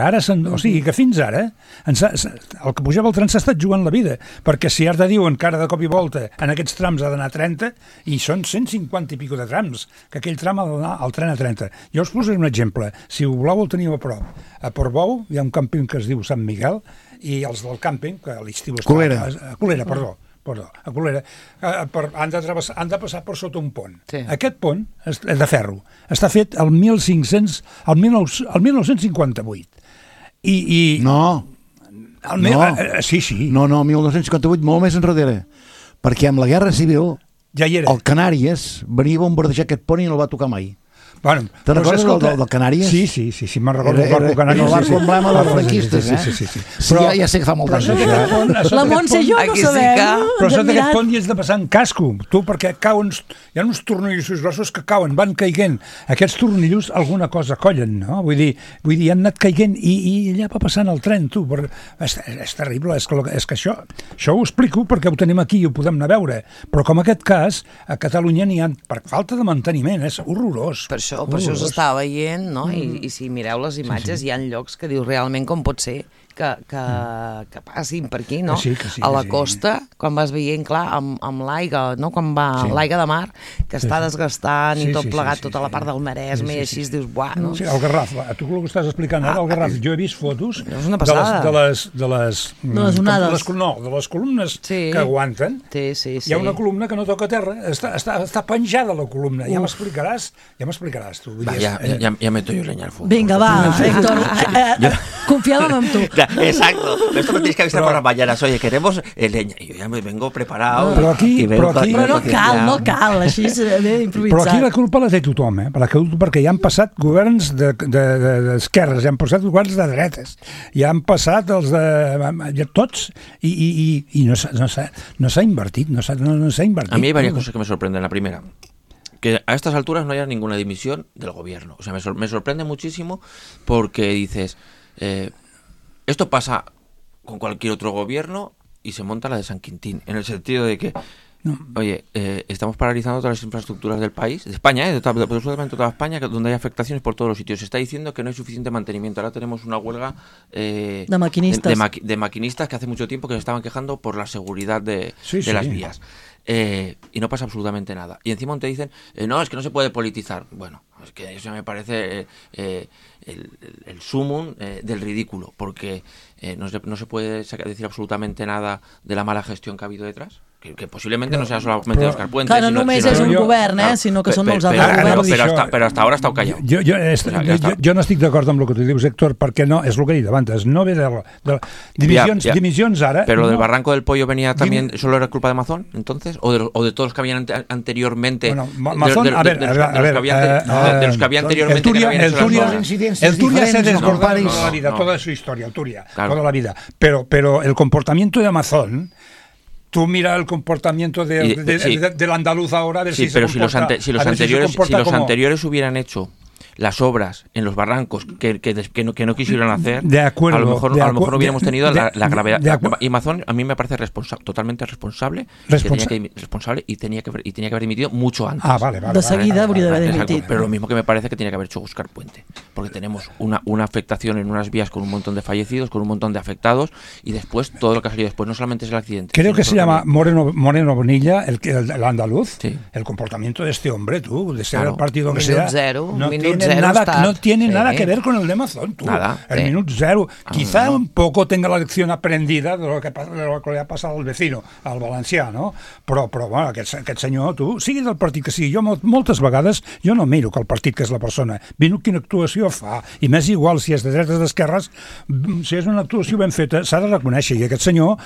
O sigui que fins ara el que pujava el tren s'ha estat jugant la vida, perquè si ara diuen que ara de cop i volta en aquests trams ha d'anar a 30, i són 150 i pico de trams, que aquell tram ha d'anar al tren a 30. Jo us posaré un exemple. Si ho voleu el teniu a prop. A Portbou hi ha un càmping que es diu Sant Miguel, i els del càmping, que a l'estiu està... Colera, perdó. A Colera, han de passar per sota un pont. Sí. Aquest pont és de ferro. Està fet el 1958. No. Sí. No, 1958, molt més enrere. Perquè amb la Guerra Civil, ja hi era. El Canàries venia a bombardejar aquest pont i no el va tocar mai. Bueno, te'n recordes del Canàries? Sí, me'n recordo del barco Canàries. El barco emblema dels franquistes, Sí. Però ja sé que fa molt temps. La Montse i jo no sabem. Però sota aquest pont hi has de passar en casco, tu, perquè hi ha uns tornillos grossos que cauen, van caiguent. Aquests tornillos alguna cosa collen, no? Vull dir, han anat caiguent i allà va passant el tren, tu. És terrible, és que això ho explico perquè ho tenim aquí i ho podem anar a veure. Però com aquest cas, a Catalunya n'hi ha, per falta de manteniment, és horrorós. Per això s'estava veient, no? I si mireu les imatges, hi ha llocs que dius realment com pot ser que passin per aquí, no? A la costa, quan vas veient, clar, amb l'aigua, no? Quan va l'aigua de mar, que està desgastant i tot plegat, tota la part del Maresme, i així dius, buah, no? Sí, el Garraf, tu el que estàs explicant ara, el Garraf, jo he vist fotos de les onades. De les columnes que aguanten. Hi ha una columna que no toca terra, està penjada la columna, ja m'explicaràs tu. Ya meto yo leña al fuego. Vinga, va, Héctor, confiàvem en tu. Exacto, esto me tenéis que avisar por las mañanas. Oye, queremos leña. Y yo ya me vengo preparado. Però no cal, així s'ha d'improvisar. Però aquí la culpa la té tothom, perquè ja han passat governs d'esquerres, ja han passat governs de dretes, ja han passat els de tots, i no s'ha invertit, no s'ha invertit. A mí hay varias cosas que me sorprenden. La primera, que a estas alturas no haya ninguna dimisión del gobierno. O sea, me sorprende muchísimo porque dices... esto pasa con cualquier otro gobierno y se monta la de San Quintín, en el sentido de que, oye, estamos paralizando todas las infraestructuras del país, de España, absolutamente toda España, donde hay afectaciones por todos los sitios. Se está diciendo que no hay suficiente mantenimiento. Ahora tenemos una huelga de maquinistas. De maquinistas que hace mucho tiempo que se estaban quejando por la seguridad de las vías. Y no pasa absolutamente nada. Y encima te dicen, no, es que no se puede politizar. Bueno, es que eso me parece el sumum del ridículo, porque no se puede decir absolutamente nada de la mala gestión que ha habido detrás. Que posiblemente no sea solamente Òscar Puente. Claro, no només és un govern, sinó que són molts altres governs. Però hasta ahora ha estat callat. Jo no estic d'acord amb el que tu dius, Héctor, perquè no, és el que he dit abans, no ve de divisions ara... Pero lo del Barranco del Pollo venía también, ¿solo era culpa de Mazón, entonces? ¿O de todos los que habían anteriormente? Bueno, Mazón, a ver, de los que había anteriormente... El Turia se desbordó toda la vida, toda su historia, el Turia, toda la vida. Pero el comportamiento de Mazón... tú mira el comportamiento del andaluz ahora, a ver si pero se comporta, si los anteriores hubieran hecho las obras en los barrancos que no quisieron hacer, a lo mejor no hubiéramos tenido la gravedad. Y Amazon a mí me parece totalmente responsable y tenía que haber dimitido mucho antes. Vale. De seguida hauria d'haver dimitit. Pero lo mismo que me parece que tenía que haber hecho Óscar Puente, porque tenemos una afectación en unas vías con un montón de fallecidos, con un montón de afectados, y después todo lo que ha salido después no solamente es el accidente. Creo que se llama Moreno Bonilla, el andaluz. Sí. El comportamiento de este hombre, de ser el partido que sea, no tiene nada que ver con el de Amazon, el minuto cero. Quizá un poco tenga la lección aprendida de lo que le ha pasado al vecino, al valencià, no? Però bueno, aquest senyor, sigui del partit que sigui, jo moltes vegades jo no miro que el partit que és la persona, miro quina actuació fa, i m'és igual si és de dretes o d'esquerres, si és una actuació ben feta, s'ha de reconèixer, i aquest senyor,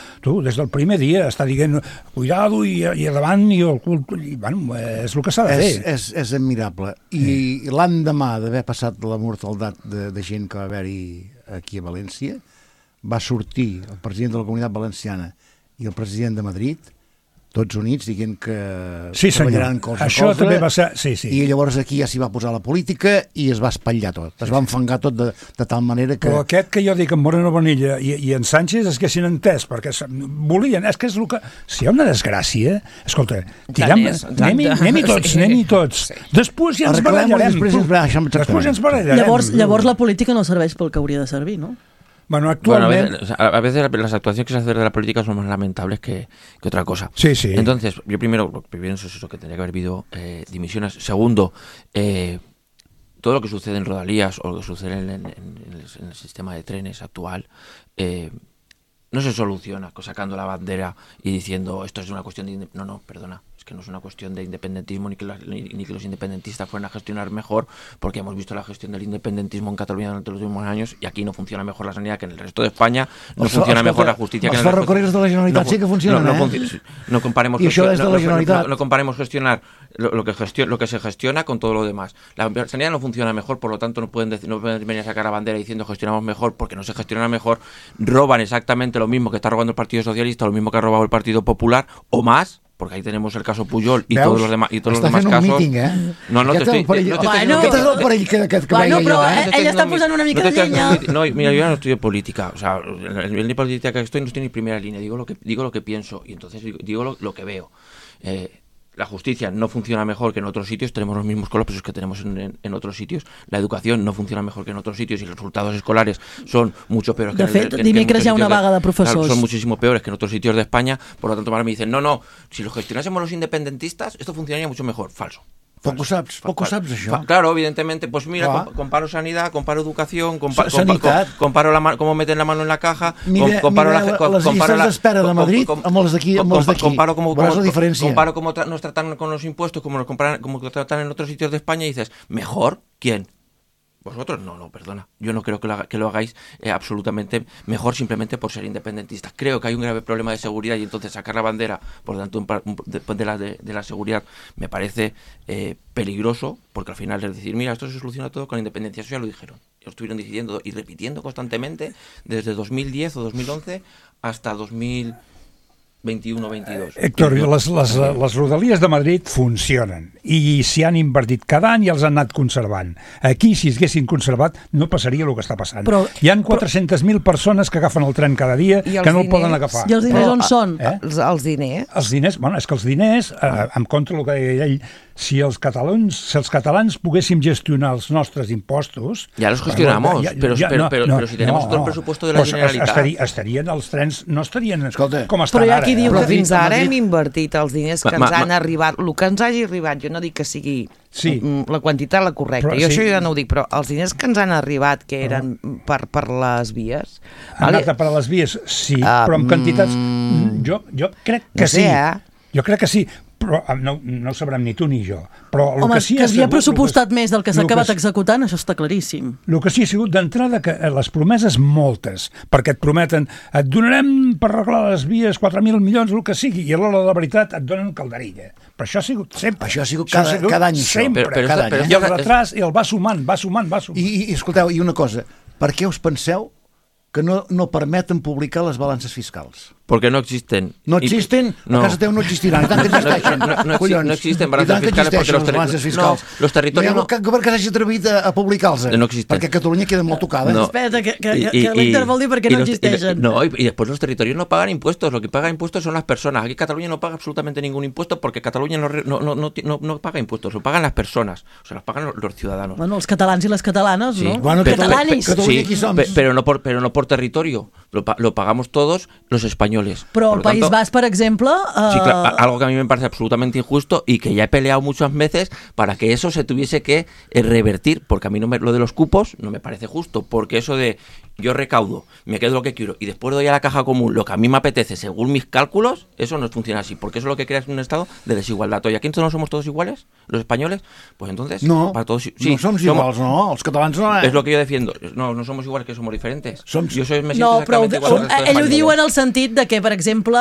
des del primer dia està dient cuidado i davant, i el cul, i bueno, és el que s'ha de fer. És admirable, i l'endemà d'haver passat la mortaldat de gent que va haver-hi aquí a València, va sortir el president de la Comunitat Valenciana i el president de Madrid, tots units, dient que treballaran colze a colze. També va ser... Sí. I llavors aquí ja s'hi va posar la política i es va espatllar tot. Es va enfangar tot de tal manera que... Però aquest que jo dic, en Moreno Bonilla i en Sánchez, és que s'hi han entès, perquè volien... És que és el que... Si hi ha una desgràcia, escolta, anem-hi tots. Després ja ens barallarem. Després ja ens barallarem. Llavors la política no serveix pel que hauria de servir, no? Bueno, actualmente... a veces las actuaciones que se hacen de la política son más lamentables que otra cosa. Sí. Entonces, yo primero lo que pienso es eso, que tendría que haber habido dimisiones. Segundo, todo lo que sucede en Rodalías o lo que sucede en el sistema de trenes actual no se soluciona sacando la bandera y diciendo esto es una cuestión de... No, perdona. Es que no es una cuestión de independentismo ni que los independentistas fueran a gestionar mejor, porque hemos visto la gestión del independentismo en Cataluña durante los últimos años y aquí no funciona mejor la sanidad que en el resto de España, no funciona mejor la justicia que en el resto. Els ferrocarrils de la Generalitat sí que funcionen, No comparemos, I això és de la Generalitat. No comparemos gestionar lo que se gestiona con todo lo demás. La sanidad no funciona mejor, por lo tanto no pueden venir a sacar la bandera diciendo gestionamos mejor, porque no se gestiona mejor. Roban exactamente lo mismo que está robando el Partido Socialista, lo mismo que ha robado el Partido Popular, o más, porque ahí tenemos el caso Pujol y todos los demás casos. Està fent un míting, No t'estic... Aquest és el perill que veia jo, Ella està posant una mica de llenya. No, mira, yo no estudio política, o sea, el nivel de política que estoy no estoy ni primera línea, digo lo que pienso y entonces digo lo que veo. La justicia no funciona mejor que en otros sitios, tenemos los mismos colapsos que tenemos en otros sitios, la educación no funciona mejor que en otros sitios y los resultados escolares son mucho peores que en otros sitios. Dimecres hi ha una vaga de professors. Son muchísimo peores que en otros sitios de España, por lo tanto ahora me dicen, no, si lo gestionásemos los independentistas, esto funcionaría mucho mejor. Falso. Poco sabes això. Claro, evidentemente, pues mira, comparo sanidad, comparo educación, comparo cómo meten la mano en la caja, comparo les llistes d'espera de Madrid amb les d'aquí. Comparo cómo nos tratan con los impuestos, como nos tratan en otros sitios de España y dices, ¿mejor? ¿Quién? Vosotros no, perdona. Yo no creo que lo hagáis absolutamente mejor simplemente por ser independentistas. Creo que hay un grave problema de seguridad y entonces sacar la bandera por tanto de la seguridad me parece peligroso, porque al final es decir, mira, esto se soluciona todo con la independencia. Eso ya lo dijeron. Lo estuvieron diciendo y repitiendo constantemente desde 2010 o 2011 hasta 2021-22. Héctor, les rodalies de Madrid funcionen i s'hi han invertit cada any i els han anat conservant. Aquí, si es haguessin conservat, no passaria el que està passant. Hi han 400.000 persones que agafen el tren cada dia que no el poden agafar. I els diners on són? Els diners? Els diners, bueno, és que els diners, en contra del que deia ell, si els catalans poguéssim gestionar els nostres impostos... Ja los gestionamos, però si tenemos todo el presupuesto de la Generalitat... Estarien els trens, no estarien com estan ara. Però fins ara hem invertit els diners que ens han arribat, el que ens hagi arribat, jo no dic que sigui la quantitat la correcta, jo això ja no ho dic, però els diners que ens han arribat, que eren per les vies... Han anat per les vies, sí, però amb quantitats... Jo crec que sí. Jo crec que sí, però no ho sabrem ni tu ni jo. Home, que s'havia pressupostat més del que s'ha acabat executant, això està claríssim. El que sí ha sigut d'entrada que les promeses moltes, perquè et prometen et donarem per arreglar les vies 4.000 milions, el que sigui, i a l'hora de la veritat et donen calderilla. Però això ha sigut sempre. Això ha sigut cada any. Sempre, cada any. I el retras el va sumant. I escolteu, i una cosa, per què us penseu que no permeten publicar les balances fiscals? Porque no existen. No existen, a casa teu no existiran, i tant que existeixen. No existen balances fiscales porque los territorios no... Per què s'hagi atrevit a publicar-los? No existen. Perquè Catalunya queda molt tocada. Espera, que l'Inter vol dir perquè no existeixen. No, y después los territorios no pagan impuestos, lo que paga impuestos son las personas. Aquí Cataluña no paga absolutamente ningún impuesto porque Cataluña no paga impuestos, lo pagan las personas, o sea, los pagan los ciudadanos. Bueno, els catalans i les catalanes, sí. ¿no? Bueno, catalanis. Sí, pero no por territorio, lo pagamos todos los españoles. Pero el País Basco, por ejemplo... Sí, claro, algo que a mí me parece absolutamente injusto y que ya he peleado muchas veces para que eso se tuviese que revertir, porque a mí lo de los cupos no me parece justo, porque eso de yo recaudo, me quedo lo que quiero y después doy a la caja común lo que a mí me apetece según mis cálculos, eso no funciona así, porque eso es lo que crea un estado de desigualdad. ¿Y aquí no somos todos iguales, los españoles? Pues entonces... No, para todos, sí, no somos iguals, no, els catalans no... Es lo que yo defiendo, no somos iguales, que somos diferentes. Yo me siento exactamente igual. Ell ho diu en el sentit de que, per exemple,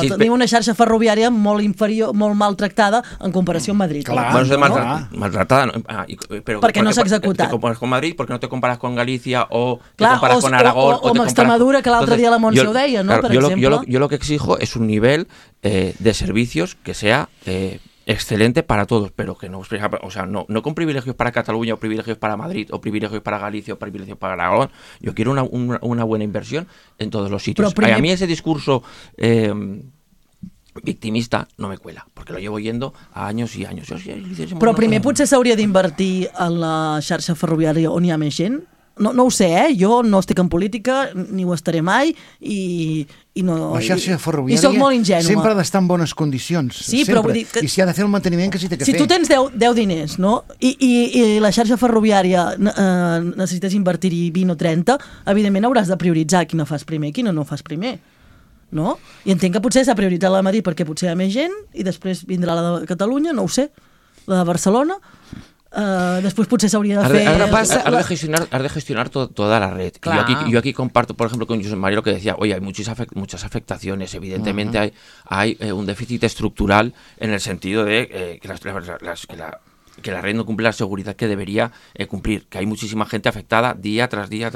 tenim una xarxa ferroviària molt inferior, molt maltractada en comparació amb Madrid. Clar, maltractada, pero perquè no s'ha executat. Te comparas con Madrid, porque no te comparas con Galicia o te comparas con Aragón o amb Extremadura, que l'altre dia la Montse ho deia, ¿no? Per exemple. Yo lo que exijo es un nivel de servicios que sea excelente para todos, pero que no, o sea, no con privilegios para Cataluña o privilegios para Madrid o privilegios para Galicia o privilegios para Aragón. Yo quiero una buena inversión en todos los sitios. A mí ese discurso victimista no me cuela, porque lo llevo yendo a años y años. Però primer potser s'hauria d'invertir en la xarxa ferroviària on hi ha més gent. No ho sé, jo no estic en política, ni ho estaré mai, i no... La xarxa ferroviària sempre ha d'estar en bones condicions. Sí, però vull dir que... I si ha de fer el manteniment que s'hi té que fer. Si tu tens 10 diners, no?, i la xarxa ferroviària necessites invertir-hi 20 o 30, evidentment hauràs de prioritzar quina fas primer i quina no fas primer. No? I entenc que potser s'ha prioritzat la de Madrid perquè potser hi ha més gent i després vindrà la de Catalunya, no ho sé, la de Barcelona... después potser s'hauria de fer... Has de gestionar toda la red. Yo aquí comparto, por ejemplo, con José María lo que decía, oye, hay muchas afectaciones, evidentemente hay un déficit estructural en el sentido de que la red no cumple la seguridad que debería cumplir, que hay muchísima gente afectada día tras día,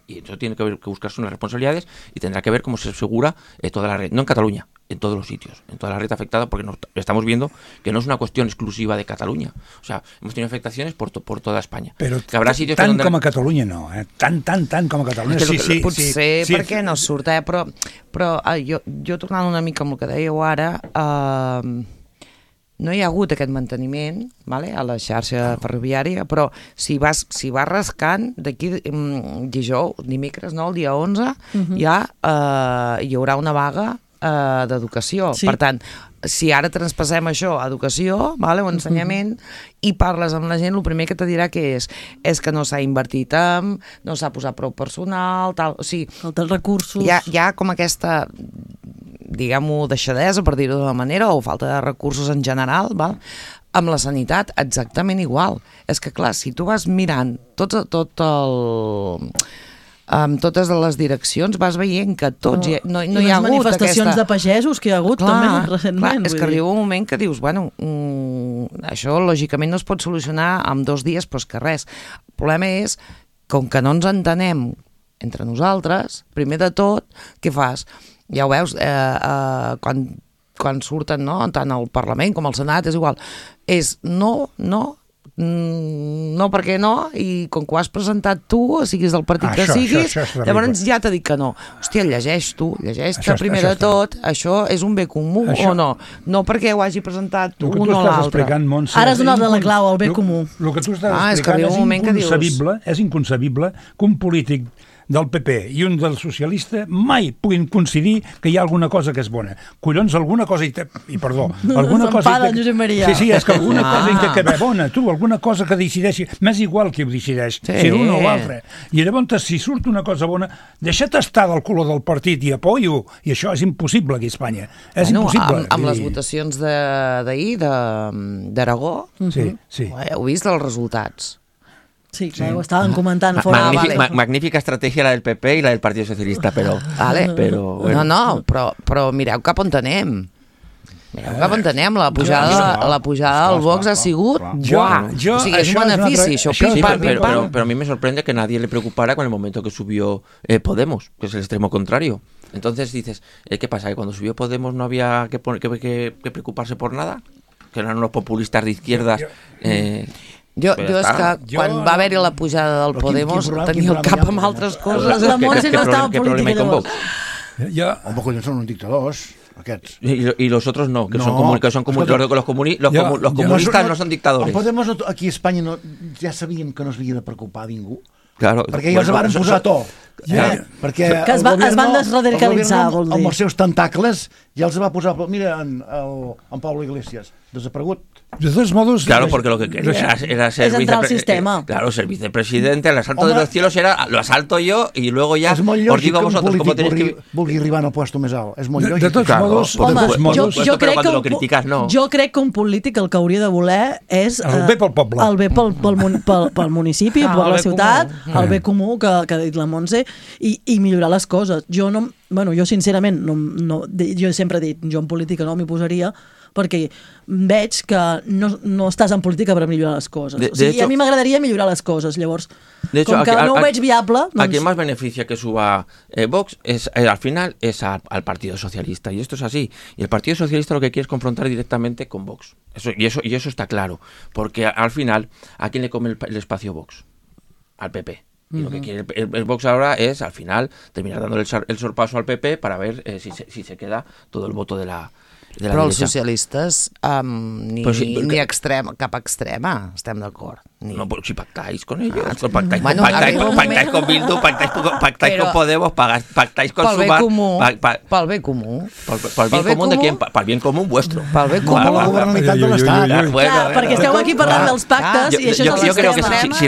y eso tiene que buscarse unas responsabilidades y tendrá que ver cómo se asegura toda la red, no en Cataluña, en todos los sitios, en toda la red afectada, porque estamos viendo que no es una cuestión exclusiva de Catalunya. O sea, hemos tenido afectaciones por toda Espanya. Però tant com a Catalunya no, tant com a Catalunya. Potser perquè no surt, però jo tornant una mica amb el que dèieu ara, no hi ha hagut aquest manteniment, vale, a la xarxa ferroviària, però si vas rascant, d'aquí dimecres, no, el dia 11, ja hi haurà una vaga d'educació. Sí. Per tant, si ara transpassem això a educació, vale, o ensenyament, i parles amb la gent, el primer que te dirà que és que no s'ha invertit no s'ha posat prou personal, tal, o sigui... Falten recursos... Hi ha com aquesta, diguem-ho, deixadesa, per dir-ho d'una manera, o falta de recursos en general, val? Amb la sanitat, exactament igual. És que, clar, si tu vas mirant amb totes les direccions vas veient que tots no hi ha hagut manifestacions de pagesos que hi ha hagut també recentment. És que arriba un moment que dius, bueno, això lògicament no es pot solucionar en 2 dies, però és que res. El problema és, com que no ens entenem entre nosaltres, primer de tot, què fas? Ja ho veus, quan surten, no, tant al Parlament com al Senat, és igual, és no, perquè no, i com que ho has presentat tu, siguis del partit que siguis, llavors ja t'ha dit que no. Hòstia, llegeix-te primer de tot, això és un bé comú o no? No perquè ho hagi presentat un o l'altre. Ara has donat la clau al bé comú. El que tu estàs explicant és inconcebible que un polític del PP i un del socialista mai puguin coincidir que hi ha alguna cosa que és bona. Collons, alguna cosa perdó, alguna cosa Josep Maria. Sí, és que alguna cosa hi té que haver bona, tu, alguna cosa que decideixi, m'és igual qui ho decideix, si l'un o l'altre. I llavors, si surt una cosa bona, deixa't estar del color del partit i apoyo, i això és impossible aquí a Espanya. És impossible. Amb les votacions d'ahir, d'Aragó, heu vist els resultats. Sí, ho estaven comentant fora. Magnífica estratègia la del PP i la del Partit Socialista, però... No, però mireu cap on anem. La pujada del Vox ha sigut... O sigui, és un benefici, això. Pero a mí me sorprende que nadie le preocupara con el momento que subió Podemos, que es el extremo contrario. Entonces dices, ¿qué pasa? ¿Que cuando subió Podemos no había que preocuparse por nada? ¿Que eran unos populistas de izquierdas? Jo és que quan va haver-hi la pujada del Podemos tenia el cap amb altres coses. La Montse no estava en política llavors. Home, collons, són uns dictadors, aquests. Y los otros no, que son comunistas. Los comunistas no son dictadores. Podemos, aquí a Espanya ja sabíem que no s'havia de preocupar ningú. Claro, perquè ja els van posar a to. Perquè es van desradicalitzar, vol dir. Amb els seus tentacles ja els va posar... Mira, en Pablo Iglesias, desaparegut. De todos modos... Claro, porque lo que quería era ser claro, ser vicepresidente, el asalto de los cielos era, lo asalto yo y luego ya os digo a vosotros cómo tenéis que... Vulgui arribar al puesto més alt. És molt lògic. De tots modos... Jo crec que un polític el que hauria de voler és... El bé pel poble. El bé pel municipi, per la ciutat, el bé comú que ha dit la Montse, i millorar les coses. Jo sincerament, jo sempre he dit, jo en política no m'hi posaria, perquè veig que no estàs en política per millorar les coses. A mi m'agradaría millorar les coses. Llavors, com que no ho veig viable... A quien más beneficia que suba Vox al final es al Partido Socialista, y esto es así. Y el Partido Socialista lo que quiere es confrontar directamente con Vox. Y eso está claro, porque al final, ¿a quién le come el espacio Vox? Al PP. Y lo que quiere el Vox ahora es, al final, terminar dando el sorpaso al PP para ver si se queda todo el voto de la Però els socialistes ni cap extrema, estem d'acord. No, pero si pactáis con ellos, pactáis con Bildu, pactáis con Podemos, pactáis con Sumar... Pel bé comú. Pel bien común de quién? Pel bien común vuestro. Pel bé comú. La governabilitat de l'Estat. Perquè esteu aquí parlant dels pactes i això és Yo creo que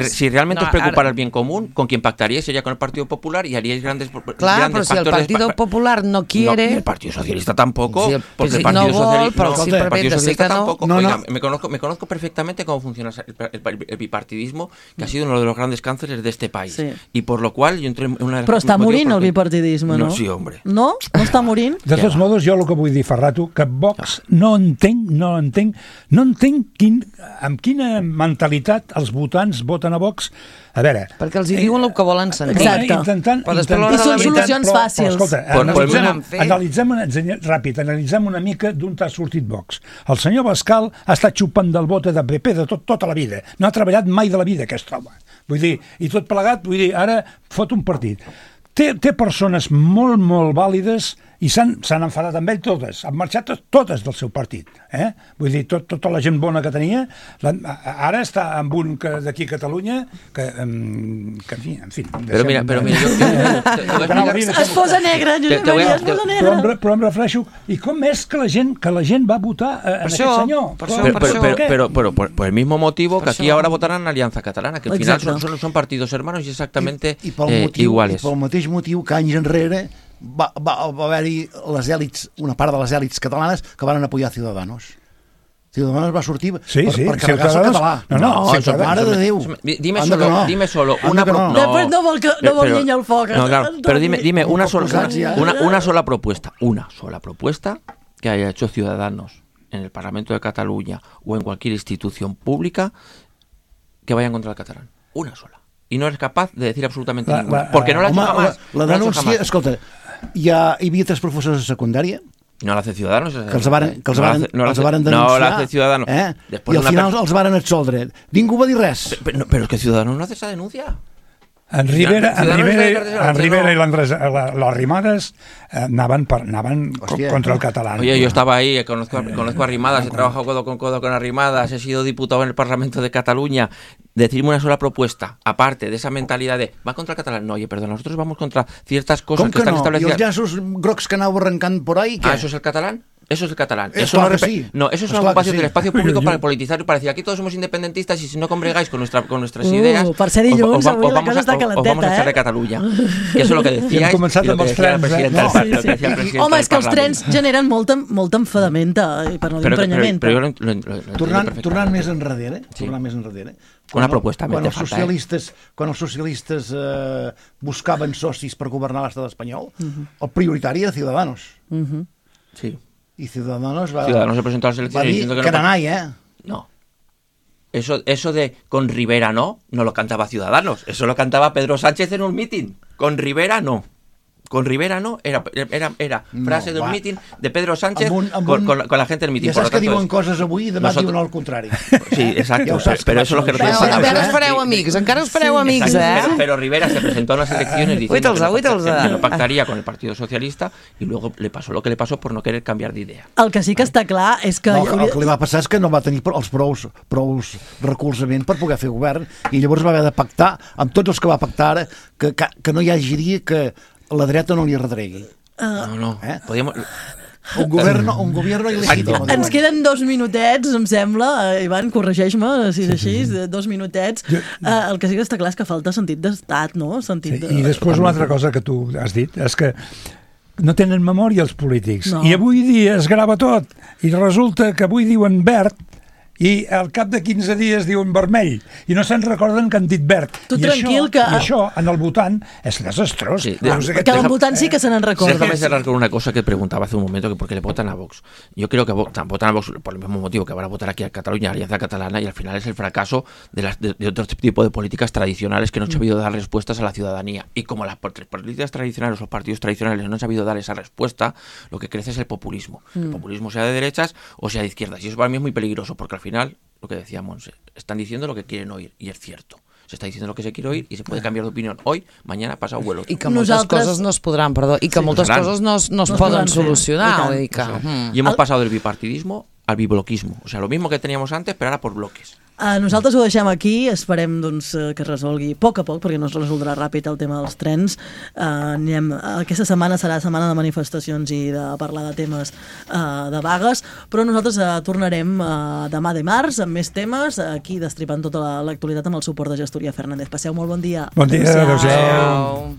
si realmente os preocupara el bien común, con quien pactaríais sería con el Partido Popular y haríais grandes pactos. Claro, pero si el Partido Popular no quiere... El Partido Socialista tampoco, porque el Partido Socialista tampoco. Oiga, me conozco perfectamente cómo funciona el bipartidismo, que ha sido uno de los grandes cánceres de este país. Sí. Y por lo cual yo entré en una... Però està morint el bipartidisme, no? Sí, hombre. No? No està morint? De tots modos, jo el que vull dir, Ferrato, que Vox no entenc amb quina mentalitat els votants voten a Vox. A veure... Perquè els hi diuen el que volen sentir. Exacte. I són solucions fàcils. Escolta, analitzem una mica d'on t'ha sortit Vox. El senyor Bascal ha estat xupant del bote de PP de tota la vida. No ha treballat mai de la vida, aquest home. Vull dir, i tot plegat, ara fot un partit. Té persones molt, molt vàlides i s'han enfadat amb ell totes. Han marxat totes del seu partit. Vull dir, tota la gent bona que tenia, ara està amb un d'aquí a Catalunya que en fi... Però mira, es posa negre, Josep Maria, es posa negre. Però em refereixo, i com és que la gent va votar en aquest senyor? Pero por el mismo motivo que aquí ahora votarán en Alianza Catalana, que al final son partidos hermanos y exactamente iguales. I pel mateix motiu que anys enrere va haver-hi les èlits, una part de les èlits catalanes que van apoyar Ciudadanos. Ciudadanos va sortir per carregar-se el català. No, mare de Déu. Dime solo una Després no vol llenya al foc. No, claro, pero dime una sola propuesta que haya hecho Ciudadanos en el Parlamento de Cataluña o en cualquier institución pública que vaya en contra del catalán. Una sola. Y no eres capaz de decir absolutamente ninguna. Porque no la ha hecho jamás. La denúncia, escolta, hi havia 3 professors de secundària no la hace Ciudadanos. Que els varen denunciar. No la hace Ciudadanos. I al final els varen absoldre. Ningú va dir res. Pero es que Ciudadanos no hace esa denuncia. En Rivera y las Rimadas anaven contra el catalán. Oye, yo estaba ahí, conozco a Rimadas, he trabajado codo con codo con Arrimadas, he sido diputado en el Parlamento de Cataluña. Decirme una sola propuesta, aparte de esa mentalidad de va contra el catalán. No, oye, perdón, nosotros vamos contra ciertas cosas que están establecidas. ¿Y los llaços grocs que anau arrancant por ahí? ¿Ah, eso es el catalán? Eso es el catalán. Eso es una ocupación del espacio público para politizar y para decir aquí todos somos independentistas y si no congregáis con nuestras ideas per ser dilluns, os vamos a echar de Catalunya. Que eso es lo que decíais y lo que decía el presidente del partido. Home, és que els trens generen molta enfadamenta, per no dir emprenyament. Tornant més enrere, una propuesta. Quan els socialistes buscaven socis per governar l'estat espanyol, el prioritari era Ciudadanos. Sí. Y Ciudadanos se presentó a las elecciones diciendo que no hay, No. Eso de con Rivera no lo cantaba Ciudadanos. Eso lo cantaba Pedro Sánchez en un mitin. Con Rivera no. Con Rivera no, era frase d'un míting de Pedro Sánchez con la gente del míting. Ja saps que diuen coses avui i demà diuen el contrari. Sí, exacto, pero eso es lo que no tiene sentido. Encara us fareu amics, Pero Rivera se presentó a unas elecciones diciendo que no pactaría con el Partido Socialista y luego le pasó lo que le pasó por no querer cambiar d'idea. El que sí que està clar és que... El que li va passar és que no va tenir els prous recolzament per poder fer govern i llavors va haver de pactar amb tots els que va pactar ara que no hi hagi dia que la dreta no li redregui. No. Podíem... Un gobierno il·legítim. Ens queden 2 minutets, em sembla. Ivan, corregeix-me, si és així, 2 minutets. El que sí que està clar és que falta sentit d'estat, no? I després una altra cosa que tu has dit és que no tenen memòria els polítics. I avui dia es grava tot. I resulta que avui diuen verd i al cap de 15 dies diuen vermell i no se'n recorden que han dit verd. Tu tranquil que... I això, en el votant, és desastrós. Que el votant sí que se n'en recorda. Déjame cerrar con una cosa que preguntaba hace un momento, que por qué le votan a Vox. Yo creo que votan a Vox por el mismo motivo que van a votar aquí a Cataluña, Alianza Catalana, y al final es el fracaso de otro tipo de políticas tradicionales que no han sabido dar respuestas a la ciudadanía. Y como las políticas tradicionales, los partidos tradicionales no han sabido dar esa respuesta, lo que crece es el populismo. El populismo sea de derechas o sea de izquierdas. Y eso para mí es muy peligroso, porque al final, lo que decía Monse, están diciendo lo que quieren oír, y es cierto. Se está diciendo lo que se quiere oír y se puede cambiar de opinión hoy, mañana, pasado o el otro. I que moltes coses no es podran, i que moltes coses no es poden solucionar. Y hemos pasado del bipartidismo al bibloquismo. O sea, lo mismo que teníamos antes, pero ahora por bloques. Nosaltres ho deixem aquí, esperem doncs, que es resolgui a poc, perquè no es resoldrà ràpid el tema dels trens. Aquesta setmana serà setmana de manifestacions i de parlar de temes de vagues, però nosaltres tornarem demà dimarts amb més temes, aquí destripant tota l'actualitat amb el suport de Gestoria Fernández. Passeu molt bon dia. Bon dia, adéu-siau.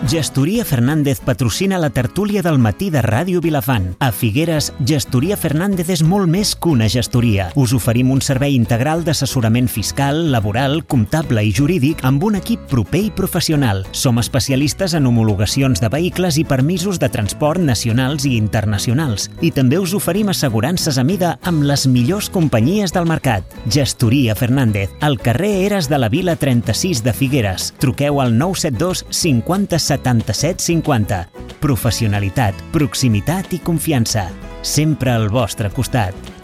Gestoria Fernández patrocina la tertúlia del matí de Ràdio Vilafant. A Figueres, Gestoria Fernández és molt més que una gestoria. Us oferim un servei integral d'assessorament fiscal, laboral, comptable i jurídic amb un equip proper i professional. Som especialistes en homologacions de vehicles i permisos de transport nacionals i internacionals. I també us oferim assegurances a mida amb les millors companyies del mercat. Gestoria Fernández, al carrer Eres de la Vila 36 de Figueres. Truqueu al 972 50 77 50. Professionalitat, proximitat i confiança. Sempre al vostre costat.